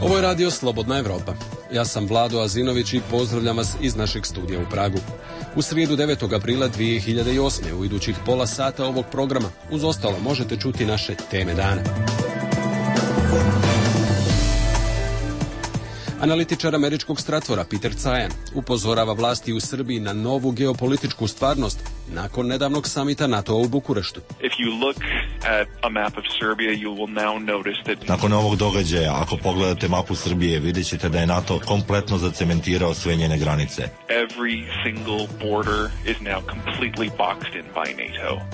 Ovo je radio Slobodna Evropa. Ja sam Vlado Azinović i pozdravljam vas iz našeg studija u Pragu. U srijedu 9. aprila 2008. u idućih pola sata ovog programa uz ostalo možete čuti naše teme dana. Analitičar američkog Stratvora Peter Cajan upozorava vlasti u Srbiji na novu geopolitičku stvarnost nakon nedavnog samita NATO-a u Bukureštu. Nakon ovog događaja, ako pogledate mapu Srbije, vidjet ćete da je NATO kompletno zacementirao sve njene granice.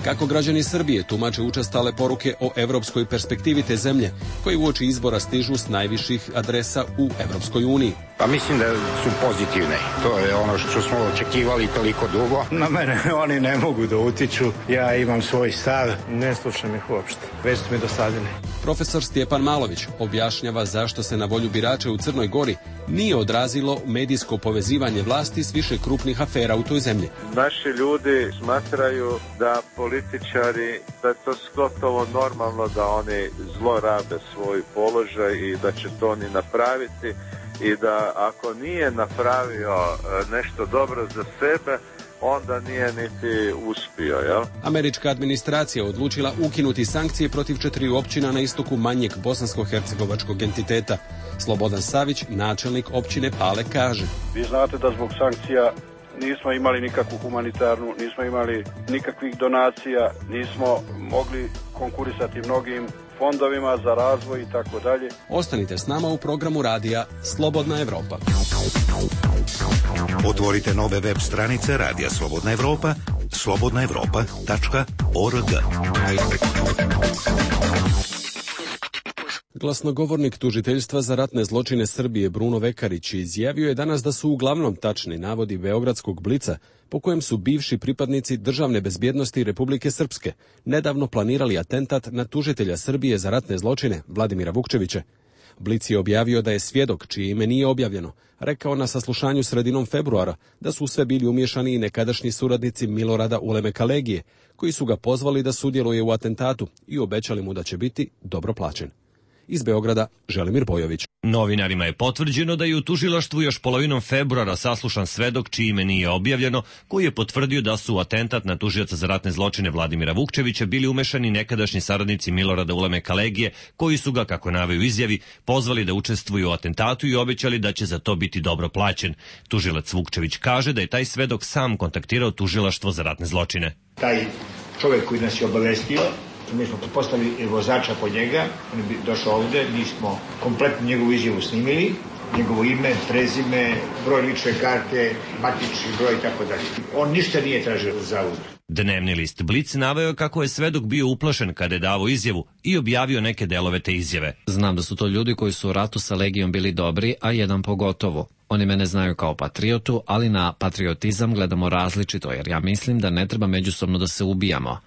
Kako građani Srbije tumače učestale poruke o evropskoj perspektivi te zemlje, koji uoči izbora stižu s najviših adresa u Evropskoj uniji? Pa mislim da su pozitivne. To je ono što smo očekivali toliko dugo. Na mene oni ne mogu da utiču. Ja imam svoj stav. Ne slušam ih uopšte. Već su mi dosadili. Profesor Stjepan Malović objašnjava zašto se na volju birača u Crnoj Gori nije odrazilo medijsko povezivanje vlasti s više krupnih afera u toj zemlji. Naši ljudi smatraju da političari, da je to gotovo normalno da oni zlorabe svoj položaj i da će to oni napraviti i da ako nije napravio nešto dobro za sebe, onda nije niti uspio, jel? Američka administracija odlučila ukinuti sankcije protiv 4 općina na istoku manjeg bosansko-hercegovačkog entiteta. Slobodan Savić, načelnik općine Pale, kaže: Vi znate da zbog sankcija nismo imali nikakvu humanitarnu, nismo imali nikakvih donacija, nismo mogli konkurisati mnogim fondovima za razvoj i tako dalje. Ostanite s nama u programu radija Slobodna Evropa. Otvorite nove web stranice Radija Slobodna Evropa, slobodnaevropa.org. Glasnogovornik tužiteljstva za ratne zločine Srbije Bruno Vekarić izjavio je danas da su uglavnom tačni navodi beogradskog Blica po kojem su bivši pripadnici državne bezbjednosti Republike Srpske nedavno planirali atentat na tužitelja Srbije za ratne zločine Vladimira Vukčevića. Blic je objavio da je svjedok, čije ime nije objavljeno, rekao na saslušanju sredinom februara da su sve bili umiješani i nekadašnji suradnici Milorada Ulemeka Legije, koji su ga pozvali da sudjeluje u atentatu i obećali mu da će biti dobro plaćen. Iz Beograda, Želimir Bojović. Novinarima je potvrđeno da je u tužilaštvu još polovinom februara saslušan svedok čije ime nije objavljeno, koji je potvrdio da su u atentat na tužioca za ratne zločine Vladimira Vukčevića bili umešani nekadašnji saradnici Milorada Ulemeka Legije, koji su ga, kako naveo u izjavi, pozvali da učestvuju u atentatu i obećali da će za to biti dobro plaćen. Tužilac Vukčević kaže da je taj svedok sam kontaktirao tužilaštvo za ratne zločine. Taj čovjek koji nas je obavestio, mi smo postavili vozača po njega, on je došao ovde, mi smo kompletnu njegovu izjavu snimili, njegovo ime, prezime, broj lične karte, matični broj i tako dalje. On ništa nije tražio za uzvrat. Dnevni list Blic naveo kako je svedok bio uplašen kada je davao izjavu i objavio neke delove te izjave. Znam da su to ljudi koji su u ratu sa Legijom bili dobri, a jedan pogotovo. Oni mene znaju kao patriotu, ali na patriotizam gledamo različito, jer ja mislim da ne treba međusobno da se ubijamo.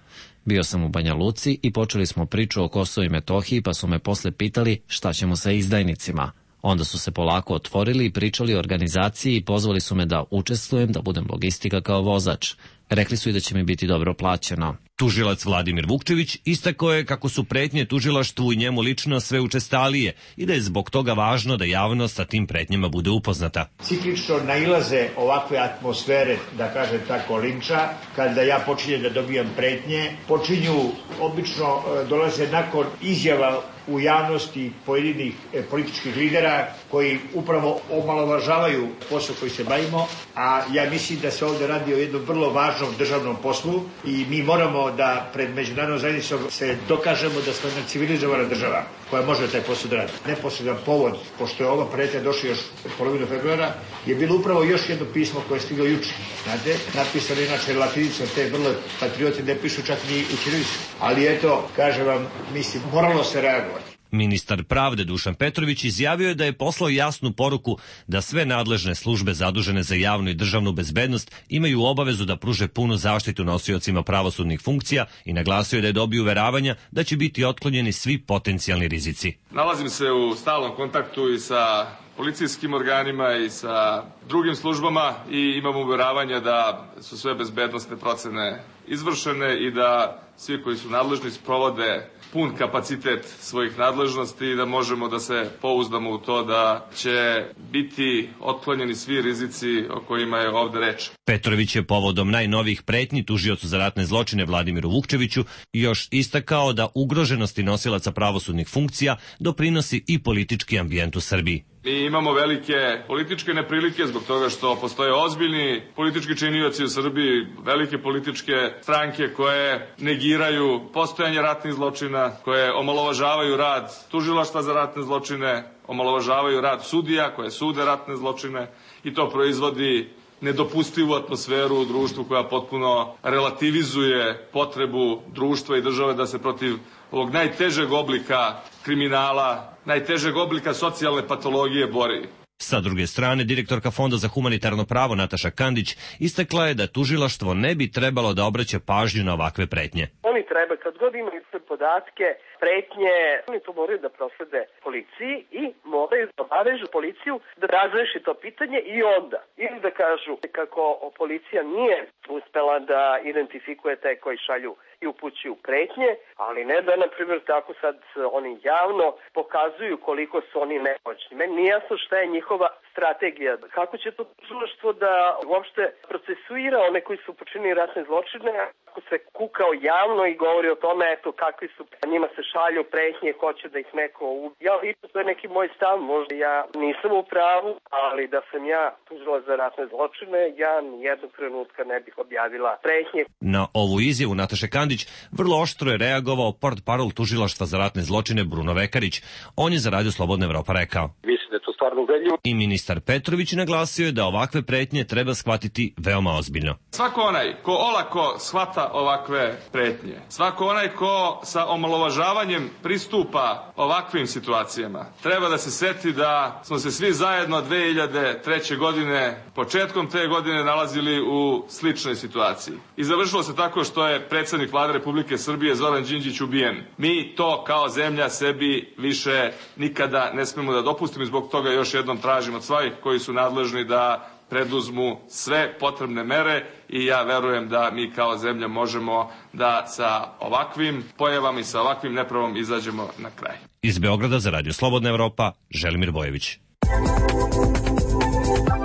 Bio sam u Banja Luci i počeli smo priču o Kosovu i Metohiji, pa su me posle pitali šta ćemo sa izdajnicima. Onda su se polako otvorili i pričali o organizaciji i pozvali su me da učestvujem, da budem logistika kao vozač. Rekli su i da će mi biti dobro plaćeno. Tužilac Vladimir Vukčević istakao je kako su pretnje tužilaštvu i njemu lično sve učestalije i da je zbog toga važno da javnost sa tim pretnjama bude upoznata. Ciklično nailaze ovakve atmosfere, da kažem tako, linča, kada ja počinjem da dobijam pretnje, počinju, obično dolaze nakon izjava u javnosti pojedinih političkih lidera koji upravo omalovažavaju posao koji se bavimo, a ja mislim da se ovdje radi o jednom vrlo važnom državnom poslu i mi moramo da pred međunarodnom zajednicom se dokažemo da smo jedna civilizovana država koja može taj posao da radi. Neposredan povod, pošto je ova pretnja došla još polovinu februara, je bilo upravo još jedno pismo koje je stiglo juče. Znate, napisano inače latinicom, te vrlo patrioti ne pišu čak ni u ćirilici. Ali eto, kažem vam, mislim, moralo se reagovati. Ministar pravde Dušan Petrović izjavio je da je poslao jasnu poruku da sve nadležne službe zadužene za javnu i državnu bezbednost imaju obavezu da pruže punu zaštitu nosiocima pravosudnih funkcija i naglasio je da je dobio uveravanja da će biti otklonjeni svi potencijalni rizici. Nalazim se u stalnom kontaktu i sa policijskim organima i sa drugim službama i imamo uveravanja da su sve bezbednosne procene izvršene i da svi koji su nadležni sprovode pun kapacitet svojih nadležnosti i da možemo da se pouzdamo u to da će biti otklonjeni svi rizici o kojima je ovde reč. Petrović je povodom najnovijih pretnji tužiocu za ratne zločine Vladimiru Vukčeviću još istakao da ugroženosti nosilaca pravosudnih funkcija doprinosi i politički ambijent u Srbiji. Mi imamo velike političke neprilike zbog toga što postoje ozbiljni politički činioci u Srbiji, velike političke stranke koje negiraju postojanje ratnih zločina, koje omalovažavaju rad tužilaštva za ratne zločine, omalovažavaju rad sudija koje sude ratne zločine i to proizvodi nedopustivu atmosferu u društvu koja potpuno relativizuje potrebu društva i države da se protiv ovog najtežeg oblika kriminala, najtežeg oblika socijalne patologije bori. Sa druge strane, direktorka Fonda za humanitarno pravo Nataša Kandić istakla je da tužilaštvo ne bi trebalo da obraća pažnju na ovakve pretnje. Oni treba, kad god imaju sve podatke, pretnje, oni to moraju da proslede policiji i moraju da obavežu policiju da razreši to pitanje i onda. Ili da kažu kako policija nije uspela da identifikuje te koji šalju i upućuju pretnje, ali ne da, na primjer, tako sad oni javno pokazuju koliko su oni nemoćni. Meni nije jasno šta je njihova strategija. Kako će to tužilaštvo da uopšte procesuira one koji su počinili ratne zločine, ako se kukao javno i govori o tome, eto, kakvi su, njima se šalju pretnje, hoće da ih neko ubije. Ja lično, to je neki moj stav, možda ja nisam u pravu, ali da sam ja tužila za ratne zločine, ja nijednog trenutka ne bih objavila pretnje. Na ovu izjavu Nataše Kandić vrlo oštro je reagovao portparol tužilaštva za ratne zločine Bruno Vekarić. On je za Radio Slobodna Evropa rekao. Mislim da je to stvarno uvredljivo. I ministar Petrović naglasio je da ovakve pretnje treba shvatiti veoma ozbiljno. Svako onaj ko olako shvata ovakve pretnje, svako onaj ko sa omalovažavanjem pristupa ovakvim situacijama, treba da se seti da smo se svi zajedno 2003. godine, početkom te godine nalazili u sličnoj situaciji. I završilo se tako što je predsjednik Vlade Republike Srbije Zoran Đinđić ubijen. Mi to kao zemlja sebi više nikada ne smemo da dopustimo i zbog toga još jednom tražimo od svih koji su nadležni da preduzmu sve potrebne mere i ja verujem da mi kao zemlja možemo da sa ovakvim pojavama i sa ovakvim nepravom izađemo na kraj. Iz Beograda za Radio Slobodna Evropa, Želimir Bojević.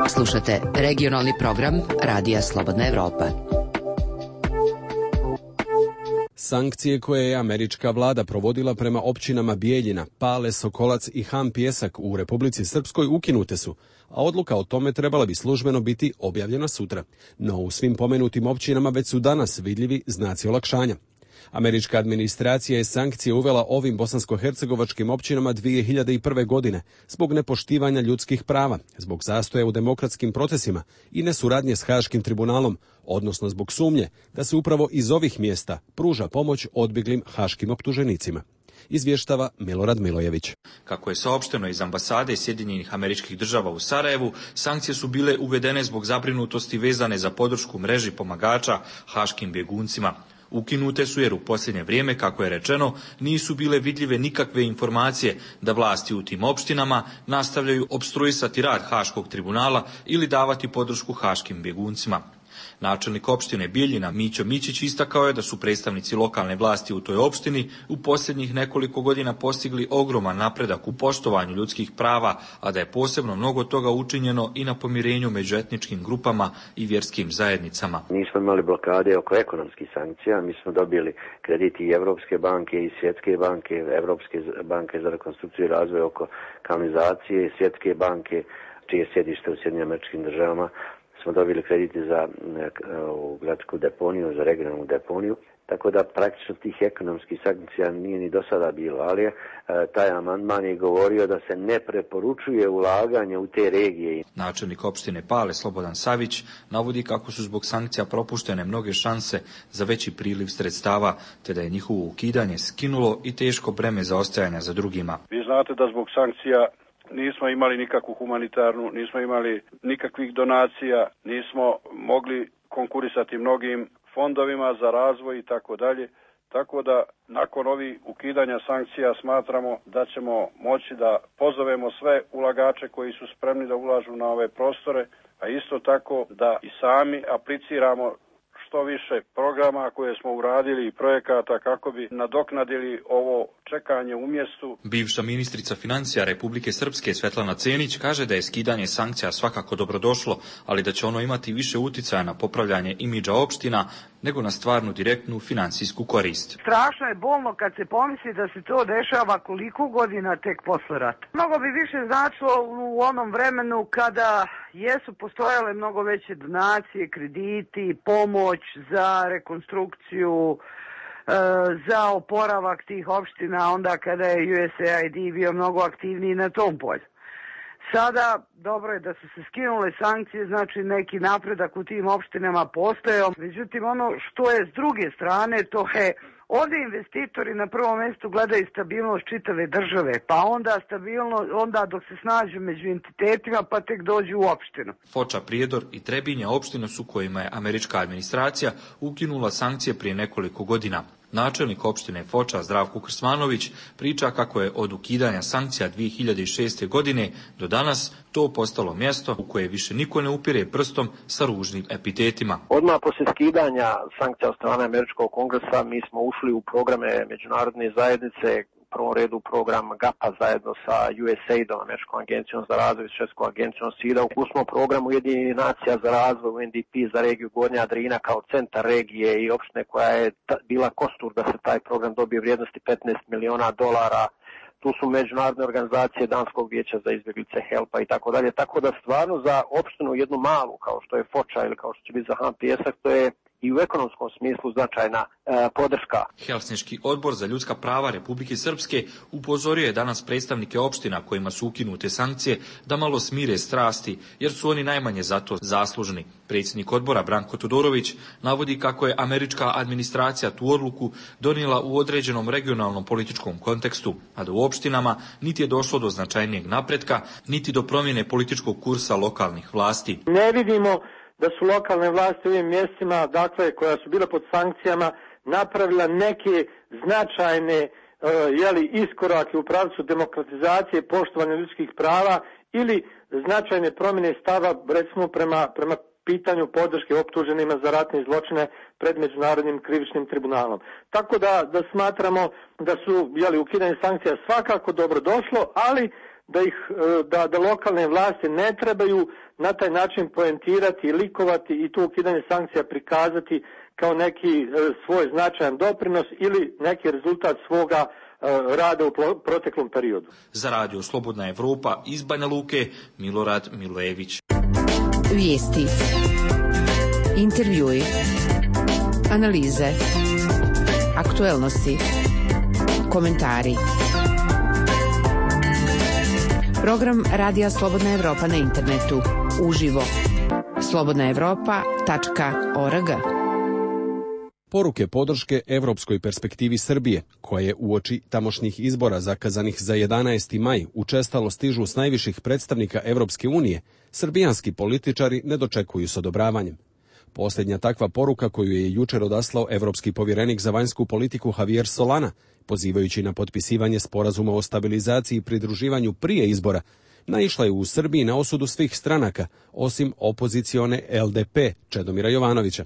Slušate regionalni program Radija Slobodna Evropa. Sankcije koje je američka vlada provodila prema općinama Bijeljina, Pale, Sokolac i Han Pjesak u Republici Srpskoj ukinute su, a odluka o tome trebala bi službeno biti objavljena sutra. No u svim pomenutim općinama već su danas vidljivi znaci olakšanja. Američka administracija je sankcije uvela ovim bosansko-hercegovačkim općinama 2001. godine zbog nepoštivanja ljudskih prava, zbog zastoja u demokratskim procesima i nesuradnje s Haškim tribunalom, odnosno zbog sumnje da se upravo iz ovih mjesta pruža pomoć odbjeglim haškim optuženicima. Izvještava Milorad Milojević. Kako je saopšteno iz ambasade Sjedinjenih Američkih Država u Sarajevu, sankcije su bile uvedene zbog zabrinutosti vezane za podršku mreži pomagača haškim bjeguncima. Ukinute su jer u posljednje vrijeme, kako je rečeno, nisu bile vidljive nikakve informacije da vlasti u tim opštinama nastavljaju opstruisati rad Haškog tribunala ili davati podršku haškim bjeguncima. Načelnik opštine Bijeljina Mićo Mićić istakao je da su predstavnici lokalne vlasti u toj opštini u posljednjih nekoliko godina postigli ogroman napredak u poštovanju ljudskih prava, a da je posebno mnogo toga učinjeno i na pomirenju među etničkim grupama i vjerskim zajednicama. Nismo imali blokade oko ekonomskih sankcija, mi smo dobili krediti i Evropske banke i Svjetske banke, Evropske banke za rekonstrukciju i razvoj oko kanalizacije, Svjetske banke, čije sjedište u Sjedinjenim Američkim Državama. Smo dobili krediti za gradsku deponiju, za regionalnu deponiju, tako da praktično tih ekonomskih sankcija nije ni do sada bilo, ali taj amandman je govorio da se ne preporučuje ulaganje u te regije. Načelnik opštine Pale Slobodan Savić navodi kako su zbog sankcija propuštene mnoge šanse za veći priliv sredstava, te da je njihovo ukidanje skinulo i teško breme zaostajanja za drugima. Vi znate da zbog sankcija nismo imali nikakvu humanitarnu, nismo imali nikakvih donacija, nismo mogli konkurisati mnogim fondovima za razvoj i tako dalje. Tako da nakon ovih ukidanja sankcija smatramo da ćemo moći da pozovemo sve ulagače koji su spremni da ulažu na ove prostore, a isto tako da i sami apliciramo što više programa koje smo uradili i projekata kako bi nadoknadili ovo čekanje u mjestu. Bivša ministrica financija Republike Srpske Svetlana Cenić kaže da je skidanje sankcija svakako dobrodošlo, ali da će ono imati više uticaja na popravljanje imidža opština nego na stvarnu direktnu finansijsku korist. Strašno je bolno kad se pomisli da se to dešava koliko godina tek posle rata. Mnogo bi više značilo u onom vremenu kada jesu postojale mnogo veće donacije, krediti, pomoć za rekonstrukciju, za oporavak tih opština, onda kada je USAID bio mnogo aktivniji na tom polju. Sada, dobro je da su se skinule sankcije, znači neki napredak u tim opštinama postojao. Međutim, ono što je s druge strane, to je ovdje investitori na prvom mjestu gledaju stabilnost čitave države, pa onda dok se snađu među entitetima, pa tek dođu u opštinu. Foča, Prijedor i Trebinje opštine su kojima je američka administracija ukinula sankcije prije nekoliko godina. Načelnik opštine Foča Zdravko Krsmanović priča kako je od ukidanja sankcija 2006. godine do danas to postalo mjesto u koje više niko ne upire prstom sa ružnim epitetima. Odmah poslije skidanja sankcija od strane američkog kongresa mi smo ušli u programe međunarodne zajednice, u prvom redu program GAPA zajedno sa USAID-om, Američkom agencijom za razvoj, Švedskom agencijom SIDA. U smo programu Ujedinjenih nacija za razvoj, UNDP za regiju Gornja Drina kao centar regije i opštine koja je bila kostur da se taj program dobije vrijednosti $15 miliona. Tu su međunarodne organizacije Danskog vijeća za izbjeglice, HELP-a i tako dalje. Tako da stvarno za opštinu jednu malu kao što je Foča ili kao što će biti za Han Pijesak, to je i u ekonomskom smislu značajna podrška. Helsinški odbor za ljudska prava Republike Srpske upozorio je danas predstavnike opština kojima su ukinute sankcije da malo smire strasti, jer su oni najmanje za to zaslužni. Predsjednik odbora Branko Todorović navodi kako je američka administracija tu odluku donijela u određenom regionalnom političkom kontekstu, a da u opštinama niti je došlo do značajnijeg napretka, niti do promjene političkog kursa lokalnih vlasti. Ne vidimo da su lokalne vlasti u ovim mjestima, dakle, koja su bila pod sankcijama, napravila neke značajne iskorake u pravcu demokratizacije, poštovanja ljudskih prava ili značajne promjene stava, recimo, prema pitanju podrške optuženima za ratne zločine pred Međunarodnim krivičnim tribunalom. Tako da smatramo da su ukidanje sankcija svakako dobro došlo, ali da lokalne vlasti ne trebaju na taj način poentirati i likovati i to ukidanje sankcija prikazati kao neki svoj značajan doprinos ili neki rezultat svoga rada u proteklom periodu. Za Radio Slobodna Evropa iz Banja Luke, Milorad Milojević. Vijesti, intervjui, analize, aktuelnosti, komentari. Program Radija Slobodna Evropa na internetu. Uživo. slobodnaevropa.org. Poruke podrške evropskoj perspektivi Srbije, koje uoči tamošnjih izbora zakazanih za 11. maj učestalo stižu s najviših predstavnika Evropske unije, srbijanski političari ne dočekuju s odobravanjem. Posljednja takva poruka koju je jučer odaslao evropski povjerenik za vanjsku politiku Javier Solana, pozivajući na potpisivanje sporazuma o stabilizaciji i pridruživanju prije izbora, naišla je u Srbiji na osudu svih stranaka, osim opozicione LDP Čedomira Jovanovića.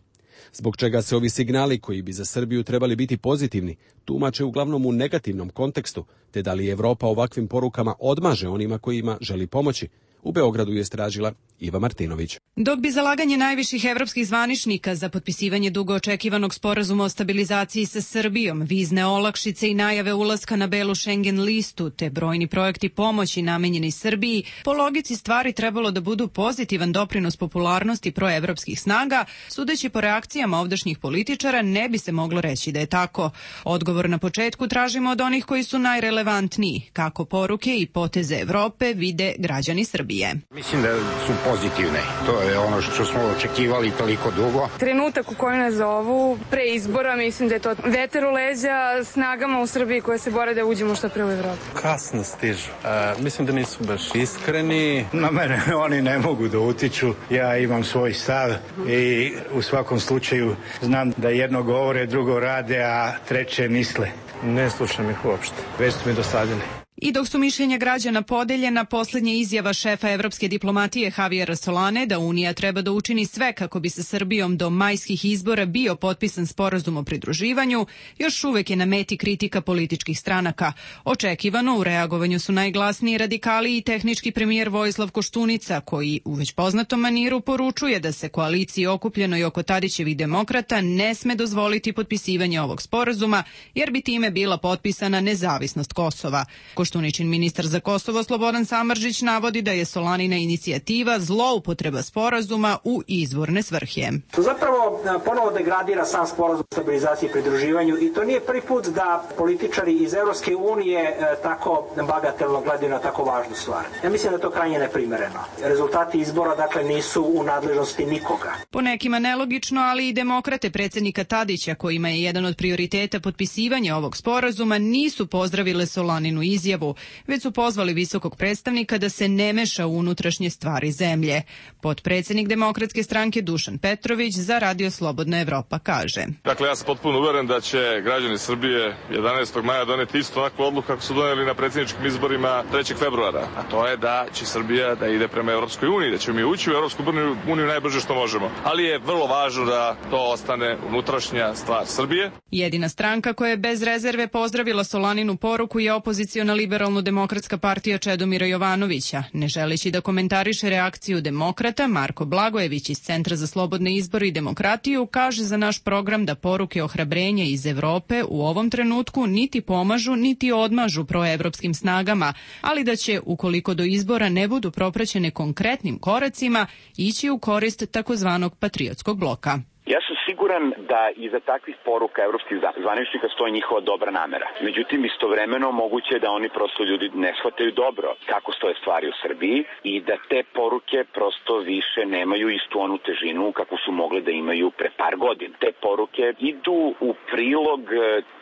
Zbog čega se ovi signali, koji bi za Srbiju trebali biti pozitivni, tumače uglavnom u negativnom kontekstu, te da li Evropa ovakvim porukama odmaže onima kojima želi pomoći, u Beogradu je istražila Iva Martinović. Dok bi zalaganje najviših evropskih zvaničnika za potpisivanje dugo očekivanog sporazuma o stabilizaciji sa Srbijom, vizne olakšice i najave ulaska na belu Schengen listu, te brojni projekti pomoći namenjeni Srbiji, po logici stvari trebalo da budu pozitivan doprinos popularnosti proevropskih snaga, sudeći po reakcijama ovdašnjih političara ne bi se moglo reći da je tako. Odgovor na početku tražimo od onih koji su najrelevantniji, kako poruke i poteze Evrope vide građani Srbije. Srbije. Mislim da su pozitivne. To je ono što smo očekivali toliko dugo. Trenutak u kojem nas zovu pre izbora, mislim da je to veter u leđa snagama u Srbiji koje se bore da uđemo što pre u Evropu. Kasno stižu. Mislim da nisu baš iskreni. Na mene oni ne mogu da utiču. Ja imam svoj stav i u svakom slučaju znam da jedno govore, drugo rade, a treće misle. Ne slušam ih uopšte. Već su mi dosadili. I dok su mišljenja građana podeljena, poslednja izjava šefa evropske diplomatije Javiera Solane da Unija treba da učini sve kako bi sa Srbijom do majskih izbora bio potpisan sporazum o pridruživanju, još uvek je na meti kritika političkih stranaka. Očekivano u reagovanju su najglasniji radikali i tehnički premijer Vojislav Koštunica, koji u već poznatom maniru poručuje da se koaliciji okupljenoj oko Tadićevih demokrata ne sme dozvoliti potpisivanje ovog sporazuma, jer bi time bila potpisana nezavisnost Kosova. Koštuničin ministar za Kosovo Slobodan Samardžić navodi da je Solanina inicijativa zloupotreba sporazuma u izborne svrhe. To zapravo ponovo degradira sam sporazum o stabilizaciji i pridruživanju i to nije prvi put da političari iz Evropske unije tako bagatelno gledaju na tako važnu stvar. Ja mislim da je to krajnje neprimereno. Rezultati izbora dakle nisu u nadležnosti nikoga. Po nekima nelogično, ali i demokrate predsjednika Tadića, kojima je jedan od prioriteta potpisivanja ovog sporazuma, nisu pozdravile Solaninu izjavu, već su pozvali visokog predstavnika da se ne meša u unutrašnje stvari zemlje. Potpredsjednik Demokratske stranke Dušan Petrović za Radio Slobodna Evropa kaže: Dakle, ja sam potpuno uveren da će građani Srbije 11. maja doneti isto onakvu odluku kako su doneli na predsjedničkim izborima 3. februara, a to je da će Srbija da ide prema Evropskoj uniji, da ćemo mi ući u Evropsku uniju najbrže što možemo. Ali je vrlo važno da to ostane unutrašnja stvar Srbije. Jedina stranka koja je bez rezerve pozdravila Solaninu poruku je opoziciona Liberalno-demokratska partija Čedomira Jovanovića. Ne želeći da komentariše reakciju demokrata, Marko Blagojević iz Centra za slobodne izbore i demokratiju kaže za naš program da poruke ohrabrenja iz Evrope u ovom trenutku niti pomažu, niti odmažu proevropskim snagama, ali da će, ukoliko do izbora ne budu propraćene konkretnim koracima, ići u korist takozvanog patriotskog bloka. Ja sam siguran da iza takvih poruka evropskih zvaničnika stoji njihova dobra namera. Međutim, istovremeno moguće je da oni prosto ljudi ne shvataju dobro kako stoje stvari u Srbiji i da te poruke prosto više nemaju istu onu težinu kako su mogle da imaju pre par godina. Te poruke idu u prilog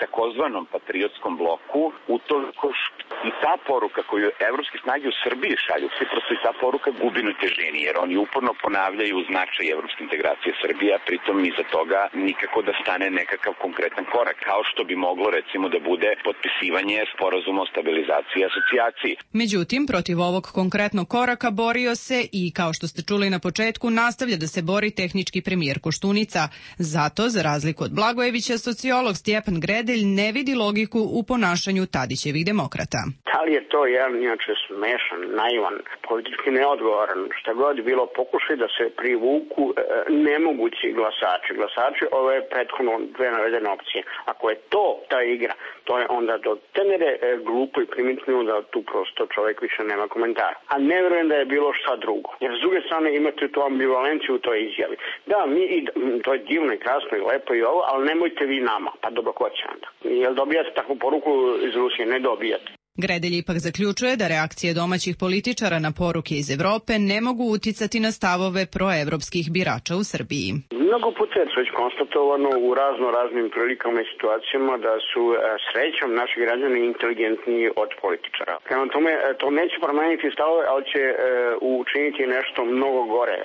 takozvanom patriotskom bloku u to i ta poruka koju evropske snage u Srbiji šalju, svi prosto i ta poruka gubi na težini, jer oni uporno ponavljaju značaj evropske integracije Srbije, a pritom iza toga nikako da stane nekakav konkretan korak, kao što bi moglo recimo da bude potpisivanje sporazuma o stabilizaciji i asocijaciji. Međutim, protiv ovog konkretnog koraka borio se i, kao što ste čuli na početku, nastavlja da se bori tehnički premijer Koštunica. Zato, za razliku od Blagojevića, sociolog Stjepan Gredelj ne vidi logiku u ponašanju Tadićevih demokrata. Da li je to jedan inače smešan, naivan, politički neodgovoran, šta god bilo pokušaj da se privuku nemogući glasači ove prethodno dve navedene opcije. Ako je to ta igra, to je onda do te mere glupo i primitivno da tu prosto čovjek više nema komentara. A ne vjerujem da je bilo šta drugo. Jer s druge strane imate tu ambivalenciju u toj izjavi. Da, to je divno i krasno i lepo i ovo, ali nemojte vi nama. Pa dobro, ko će onda? Jel dobijate takvu poruku iz Rusije? Ne dobijate. Gredelj ipak zaključuje da reakcije domaćih političara na poruke iz Evrope ne mogu uticati na stavove proevropskih birača u Srbiji. Mnogo puta je već konstatovano u raznim prilikama i situacijama da su srećom naši građani inteligentniji od političara. Prema tome, to neće promeniti stavove, ali će učiniti nešto mnogo gore.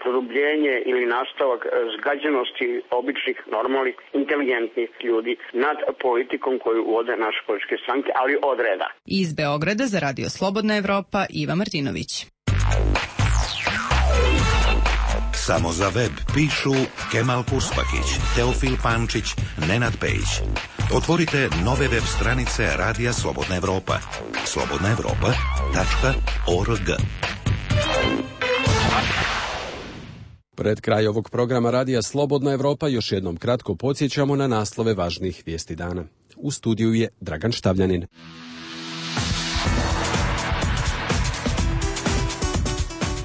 Produbljenje ili nastavak zgađenosti običnih, normalnih, inteligentnih ljudi nad politikom koju vode naše političke stranke, ali od reda. Iz Beograda za Radio Slobodna Evropa, Iva Martinović. Samo za web pišu Kemal Puspakić, Teofil Pančić, Nenad Pejić. Otvorite nove web stranice Radija Slobodna Evropa. slobodnaevropa.org. Pred kraj ovog programa Radija Slobodna Evropa još jednom kratko podsjećamo na naslove važnih vijesti dana. U studiju je Dragan Štavljanin.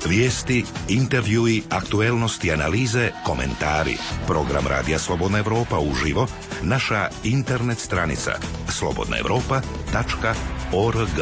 Vijesti, intervjui, aktuelnosti, analize, komentari. Program Radija Slobodna Evropa uživo, naša internet stranica slobodnaevropa.org.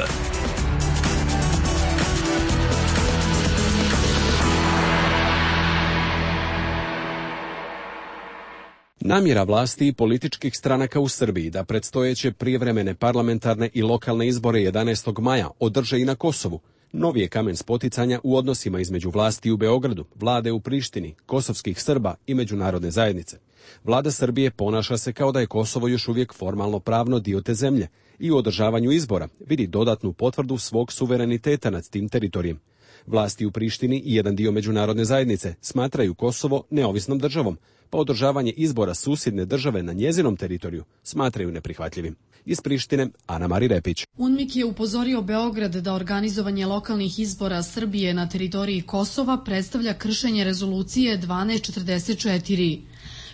Namjera vlasti i političkih stranaka u Srbiji da predstojeće prijevremene parlamentarne i lokalne izbore 11. maja održe i na Kosovu novi je kamen spoticanja u odnosima između vlasti u Beogradu, vlade u Prištini, kosovskih Srba i međunarodne zajednice. Vlada Srbije ponaša se kao da je Kosovo još uvijek formalno pravno dio te zemlje i u održavanju izbora vidi dodatnu potvrdu svog suvereniteta nad tim teritorijem. Vlasti u Prištini i jedan dio međunarodne zajednice smatraju Kosovo neovisnom državom, pa održavanje izbora susjedne države na njezinom teritoriju smatraju neprihvatljivim. Iz Prištine, Ana Mari Repić. UNMIK je upozorio Beograd da organizovanje lokalnih izbora Srbije na teritoriji Kosova predstavlja kršenje rezolucije 1244.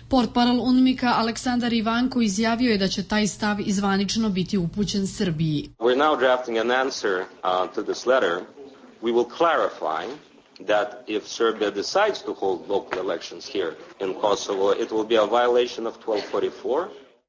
Portparol UNMIK-a Aleksandar Ivanko izjavio je da će taj stav izvanično biti upućen Srbiji. We're now drafting an answer to this letter. We will clarify that if Serbia decides to hold local elections here in Kosovo, it will be a violation of 1244.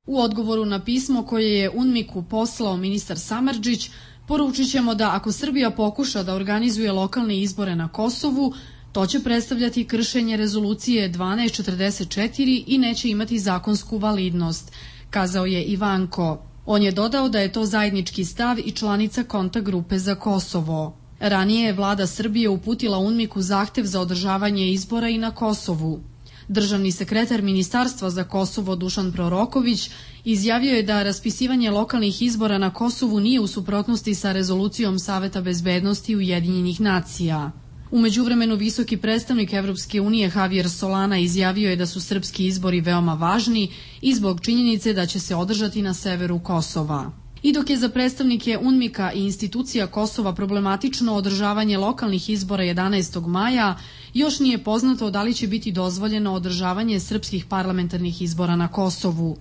U odgovoru na pismo koje je UNMIK-u poslao ministar Samardžić, poručit ćemo da ako Srbija pokuša da organizuje lokalne izbore na Kosovu, to će predstavljati kršenje rezolucije 1244 i neće imati zakonsku validnost, kazao je Ivanko. On je dodao da je to zajednički stav i članica kontakt grupe za Kosovo. Ranije je vlada Srbije uputila UNMIK-u zahtev za održavanje izbora i na Kosovu. Državni sekretar Ministarstva za Kosovo Dušan Proroković izjavio je da raspisivanje lokalnih izbora na Kosovu nije u suprotnosti sa rezolucijom Saveta bezbednosti Ujedinjenih nacija. U međuvremenu visoki predstavnik Evropske unije Javier Solana izjavio je da su srpski izbori veoma važni i zbog činjenice da će se održati na severu Kosova. I dok je za predstavnike UNMIK-a i institucija Kosova problematično održavanje lokalnih izbora 11. maja, još nije poznato da li će biti dozvoljeno održavanje srpskih parlamentarnih izbora na Kosovu.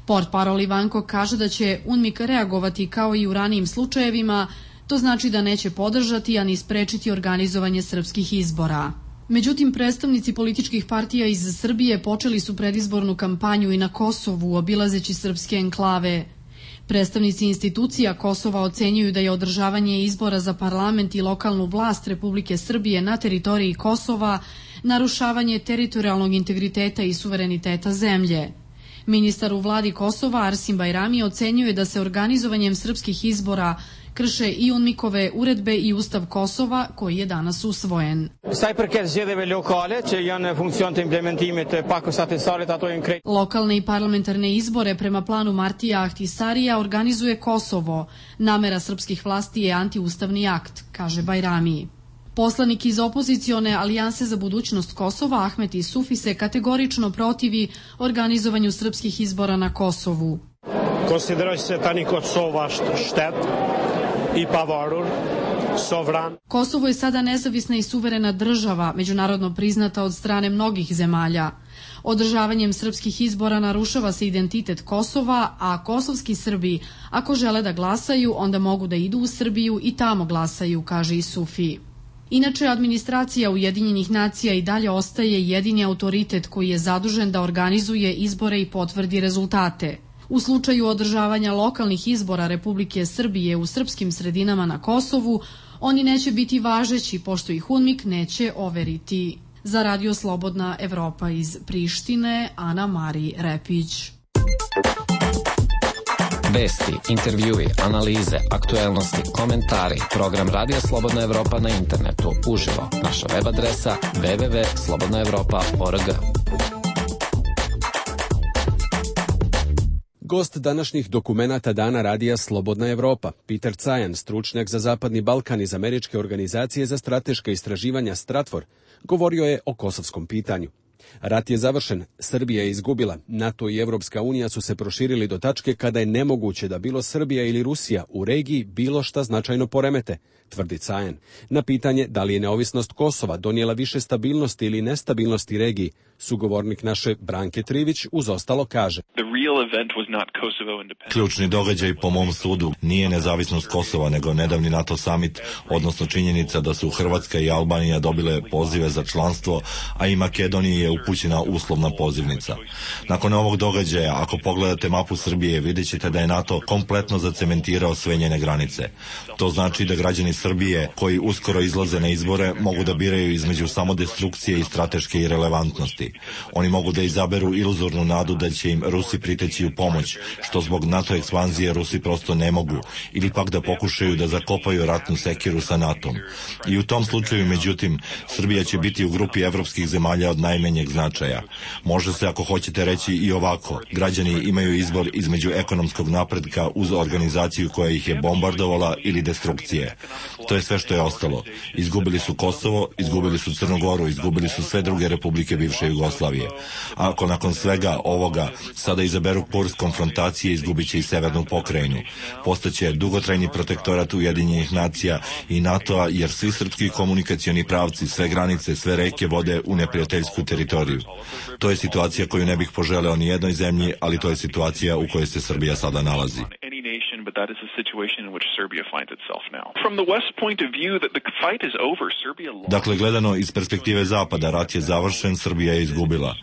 Portparol Ivanko kaže da će UNMIK reagovati kao i u ranijim slučajevima, to znači da neće podržati, a ni sprečiti organizovanje srpskih izbora. Međutim, predstavnici političkih partija iz Srbije počeli su predizbornu kampanju i na Kosovu, obilazeći srpske enklave. Predstavnici institucija Kosova ocenjuju da je održavanje izbora za parlament i lokalnu vlast Republike Srbije na teritoriji Kosova narušavanje teritorijalnog integriteta i suvereniteta zemlje. Ministar u vladi Kosova Arsim Bajrami ocenjuje da se organizovanjem srpskih izbora krše i UNMIK-ove uredbe i Ustav Kosova koji je danas usvojen. Lokalne i parlamentarne izbore prema planu Martija Ahtisarija organizuje Kosovo. Namera srpskih vlasti je antiustavni akt, kaže Bajrami. Poslanik iz opozicione Alijanse za budućnost Kosova Ahmet Isufi se kategorično protivi organizovanju srpskih izbora na Kosovu. Konsideroj se tani Kosova štet i pavarur, sovran. Kosovo je sada nezavisna i suverena država, međunarodno priznata od strane mnogih zemalja. Održavanjem srpskih izbora narušava se identitet Kosova, a kosovski Srbi, ako žele da glasaju, onda mogu da idu u Srbiju i tamo glasaju, kaže Isufi. Inače, administracija Ujedinjenih nacija i dalje ostaje jedini autoritet koji je zadužen da organizuje izbore i potvrdi rezultate. U slučaju održavanja lokalnih izbora Republike Srbije u srpskim sredinama na Kosovu, oni neće biti važeći pošto ih UNMIK neće overiti. Za Radio Slobodna Evropa iz Prištine, Ana Mari Repić. Vesti, intervjui, analize, aktuelnosti, komentari, program Radio Slobodna Evropa na internetu, uživo, naša web adresa www.slobodnaevropa.org. Gost današnjih dokumenata Dana Radija Slobodna Evropa, Peter Cajan, stručnjak za Zapadni Balkan iz Američke organizacije za strateška istraživanja Stratfor, govorio je o kosovskom pitanju. Rat je završen, Srbija je izgubila, NATO i Evropska unija su se proširili do tačke kada je nemoguće da bilo Srbija ili Rusija u regiji bilo šta značajno poremete, tvrdi Cajan. Na pitanje da li je neovisnost Kosova donijela više stabilnosti ili nestabilnosti regiji, sugovornik naše Branke Trivić uz ostalo kaže. Ključni događaj po mom sudu nije nezavisnost Kosova, nego nedavni NATO summit, odnosno činjenica da su Hrvatska i Albanija dobile pozive za članstvo, a i Makedoniji je upućena uslovna pozivnica. Nakon ovog događaja, ako pogledate mapu Srbije, vidjet ćete da je NATO kompletno zacementirao sve njene granice. To znači da građani Srbije, koji uskoro izlaze na izbore, mogu da biraju između samodestrukcije i strateške irelevantnosti. Oni mogu da izaberu iluzornu nadu da će im Rusi priteći u pomoć, što zbog NATO ekspanzije Rusi prosto ne mogu, ili pak da pokušaju da zakopaju ratnu sekiru sa NATO-om. I u tom slučaju, međutim, Srbija će biti u grupi evropskih zemalja od najmanjeg značaja. Može se, ako hoćete, reći i ovako: građani imaju izbor između ekonomskog napretka uz organizaciju koja ih je bombardovala ili destrukcije. To je sve što je ostalo. Izgubili su Kosovo, izgubili su Crnu Goru, izgubili su sve druge republike bivše Jugoslavije. A ako nakon svega ovoga sada izaberu kurs konfrontacije, izgubit će i severnu pokrajinu. Postaće dugotrajni protektorat Ujedinjenih nacija i NATO-a, jer svi srpski komunikacioni pravci, sve granice, sve reke vode u neprijateljsku teritoriju. To je situacija koju ne bih poželeo ni jednoj zemlji, ali to je situacija u kojoj se Srbija sada nalazi. But that is the situation in which Serbia finds itself now. From the West point of view, that the fight is over. Serbia lost. Dakle, gledano iz perspektive Zapada, rat je završen, Srbija je izgubila.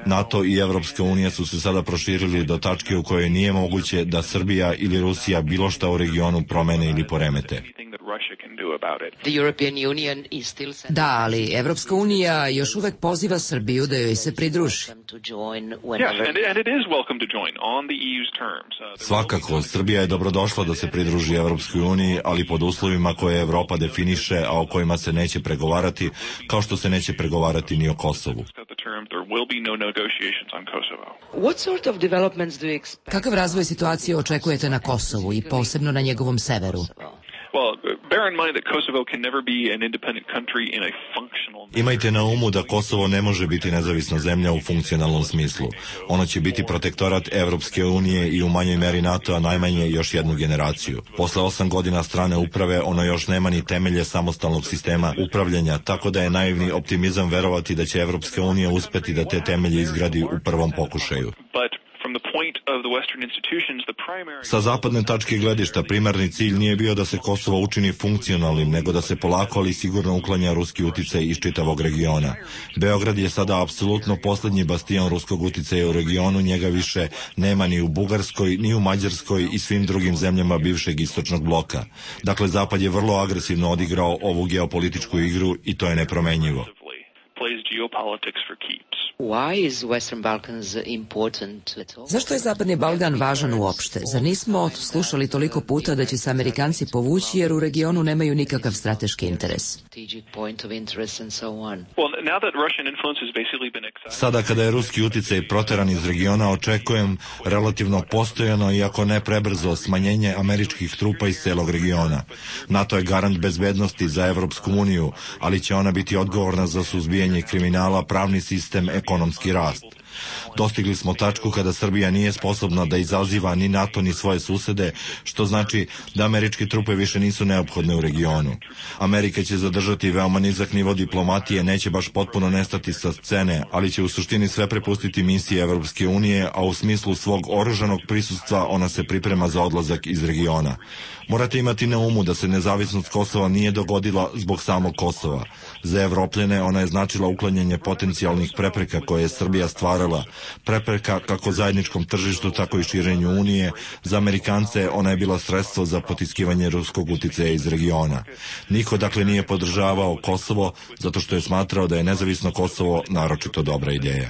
NATO i Evropska unija su se sada proširili do tačke u kojoj nije moguće da Srbija ili Rusija bilo šta u regionu promene ili poremete. Da, ali Evropska unija još uvek poziva Srbiju da joj se pridruži. Svakako, Srbija je dobrodošla da se pridruži Evropskoj uniji, ali pod uslovima koje Evropa definiše, a o kojima se neće pregovarati, kao što se neće pregovarati ni o Kosovu. Kakav razvoj situacije očekujete na Kosovu i posebno na njegovom severu? Imajte na umu da Kosovo ne može biti nezavisna zemlja u funkcionalnom smislu. Ono će biti protektorat Evropske unije i u manjoj meri NATO-a najmanje još jednu generaciju. Posle 8 godina strane uprave ono još nema ni temelje samostalnog sistema upravljanja, tako da je naivni optimizam verovati da će Evropska unija uspeti da te temelje izgradi u prvom pokušaju. Sa zapadne tačke gledišta primarni cilj nije bio da se Kosovo učini funkcionalnim, nego da se polako ali sigurno uklanja ruski uticaj iz čitavog regiona. Beograd je sada apsolutno poslednji bastion ruskog uticaja u regionu, njega više nema ni u Bugarskoj, ni u Mađarskoj i svim drugim zemljama bivšeg istočnog bloka. Dakle, Zapad je vrlo agresivno odigrao ovu geopolitičku igru i to je nepromenjivo. Zašto je Zapadni Balkan važan uopšte? Zar nismo slušali toliko puta da će se Amerikanci povući jer u regionu nemaju nikakav strateški interes? Sada kada je ruski uticaj proteran iz regiona, očekujem relativno postojano, iako ne prebrzo, smanjenje američkih trupa iz celog regiona. NATO je garant bezbednosti za Evropsku uniju, ali će ona biti odgovorna za suzbijanje kriminala, pravni sistem, ekonomski rast. Dostigli smo tačku kada Srbija nije sposobna da izaziva ni NATO ni svoje susede, što znači da američke trupe više nisu neophodne u regionu. Amerika će zadržati veoma nizak nivo diplomatije, neće baš potpuno nestati sa scene, ali će u suštini sve prepustiti misije Evropske unije, a u smislu svog oružanog prisustva ona se priprema za odlazak iz regiona. Morate imati na umu da se nezavisnost Kosova nije dogodila zbog samog Kosova. Za Evropljane ona je značila uklanjanje potencijalnih prepreka koje je Srbija stvarala, prepreka kako zajedničkom tržištu, tako i širenju Unije. Za Amerikance ona je bila sredstvo za potiskivanje ruskog uticaja iz regiona. Niko dakle nije podržavao Kosovo zato što je smatrao da je nezavisno Kosovo naročito dobra ideja.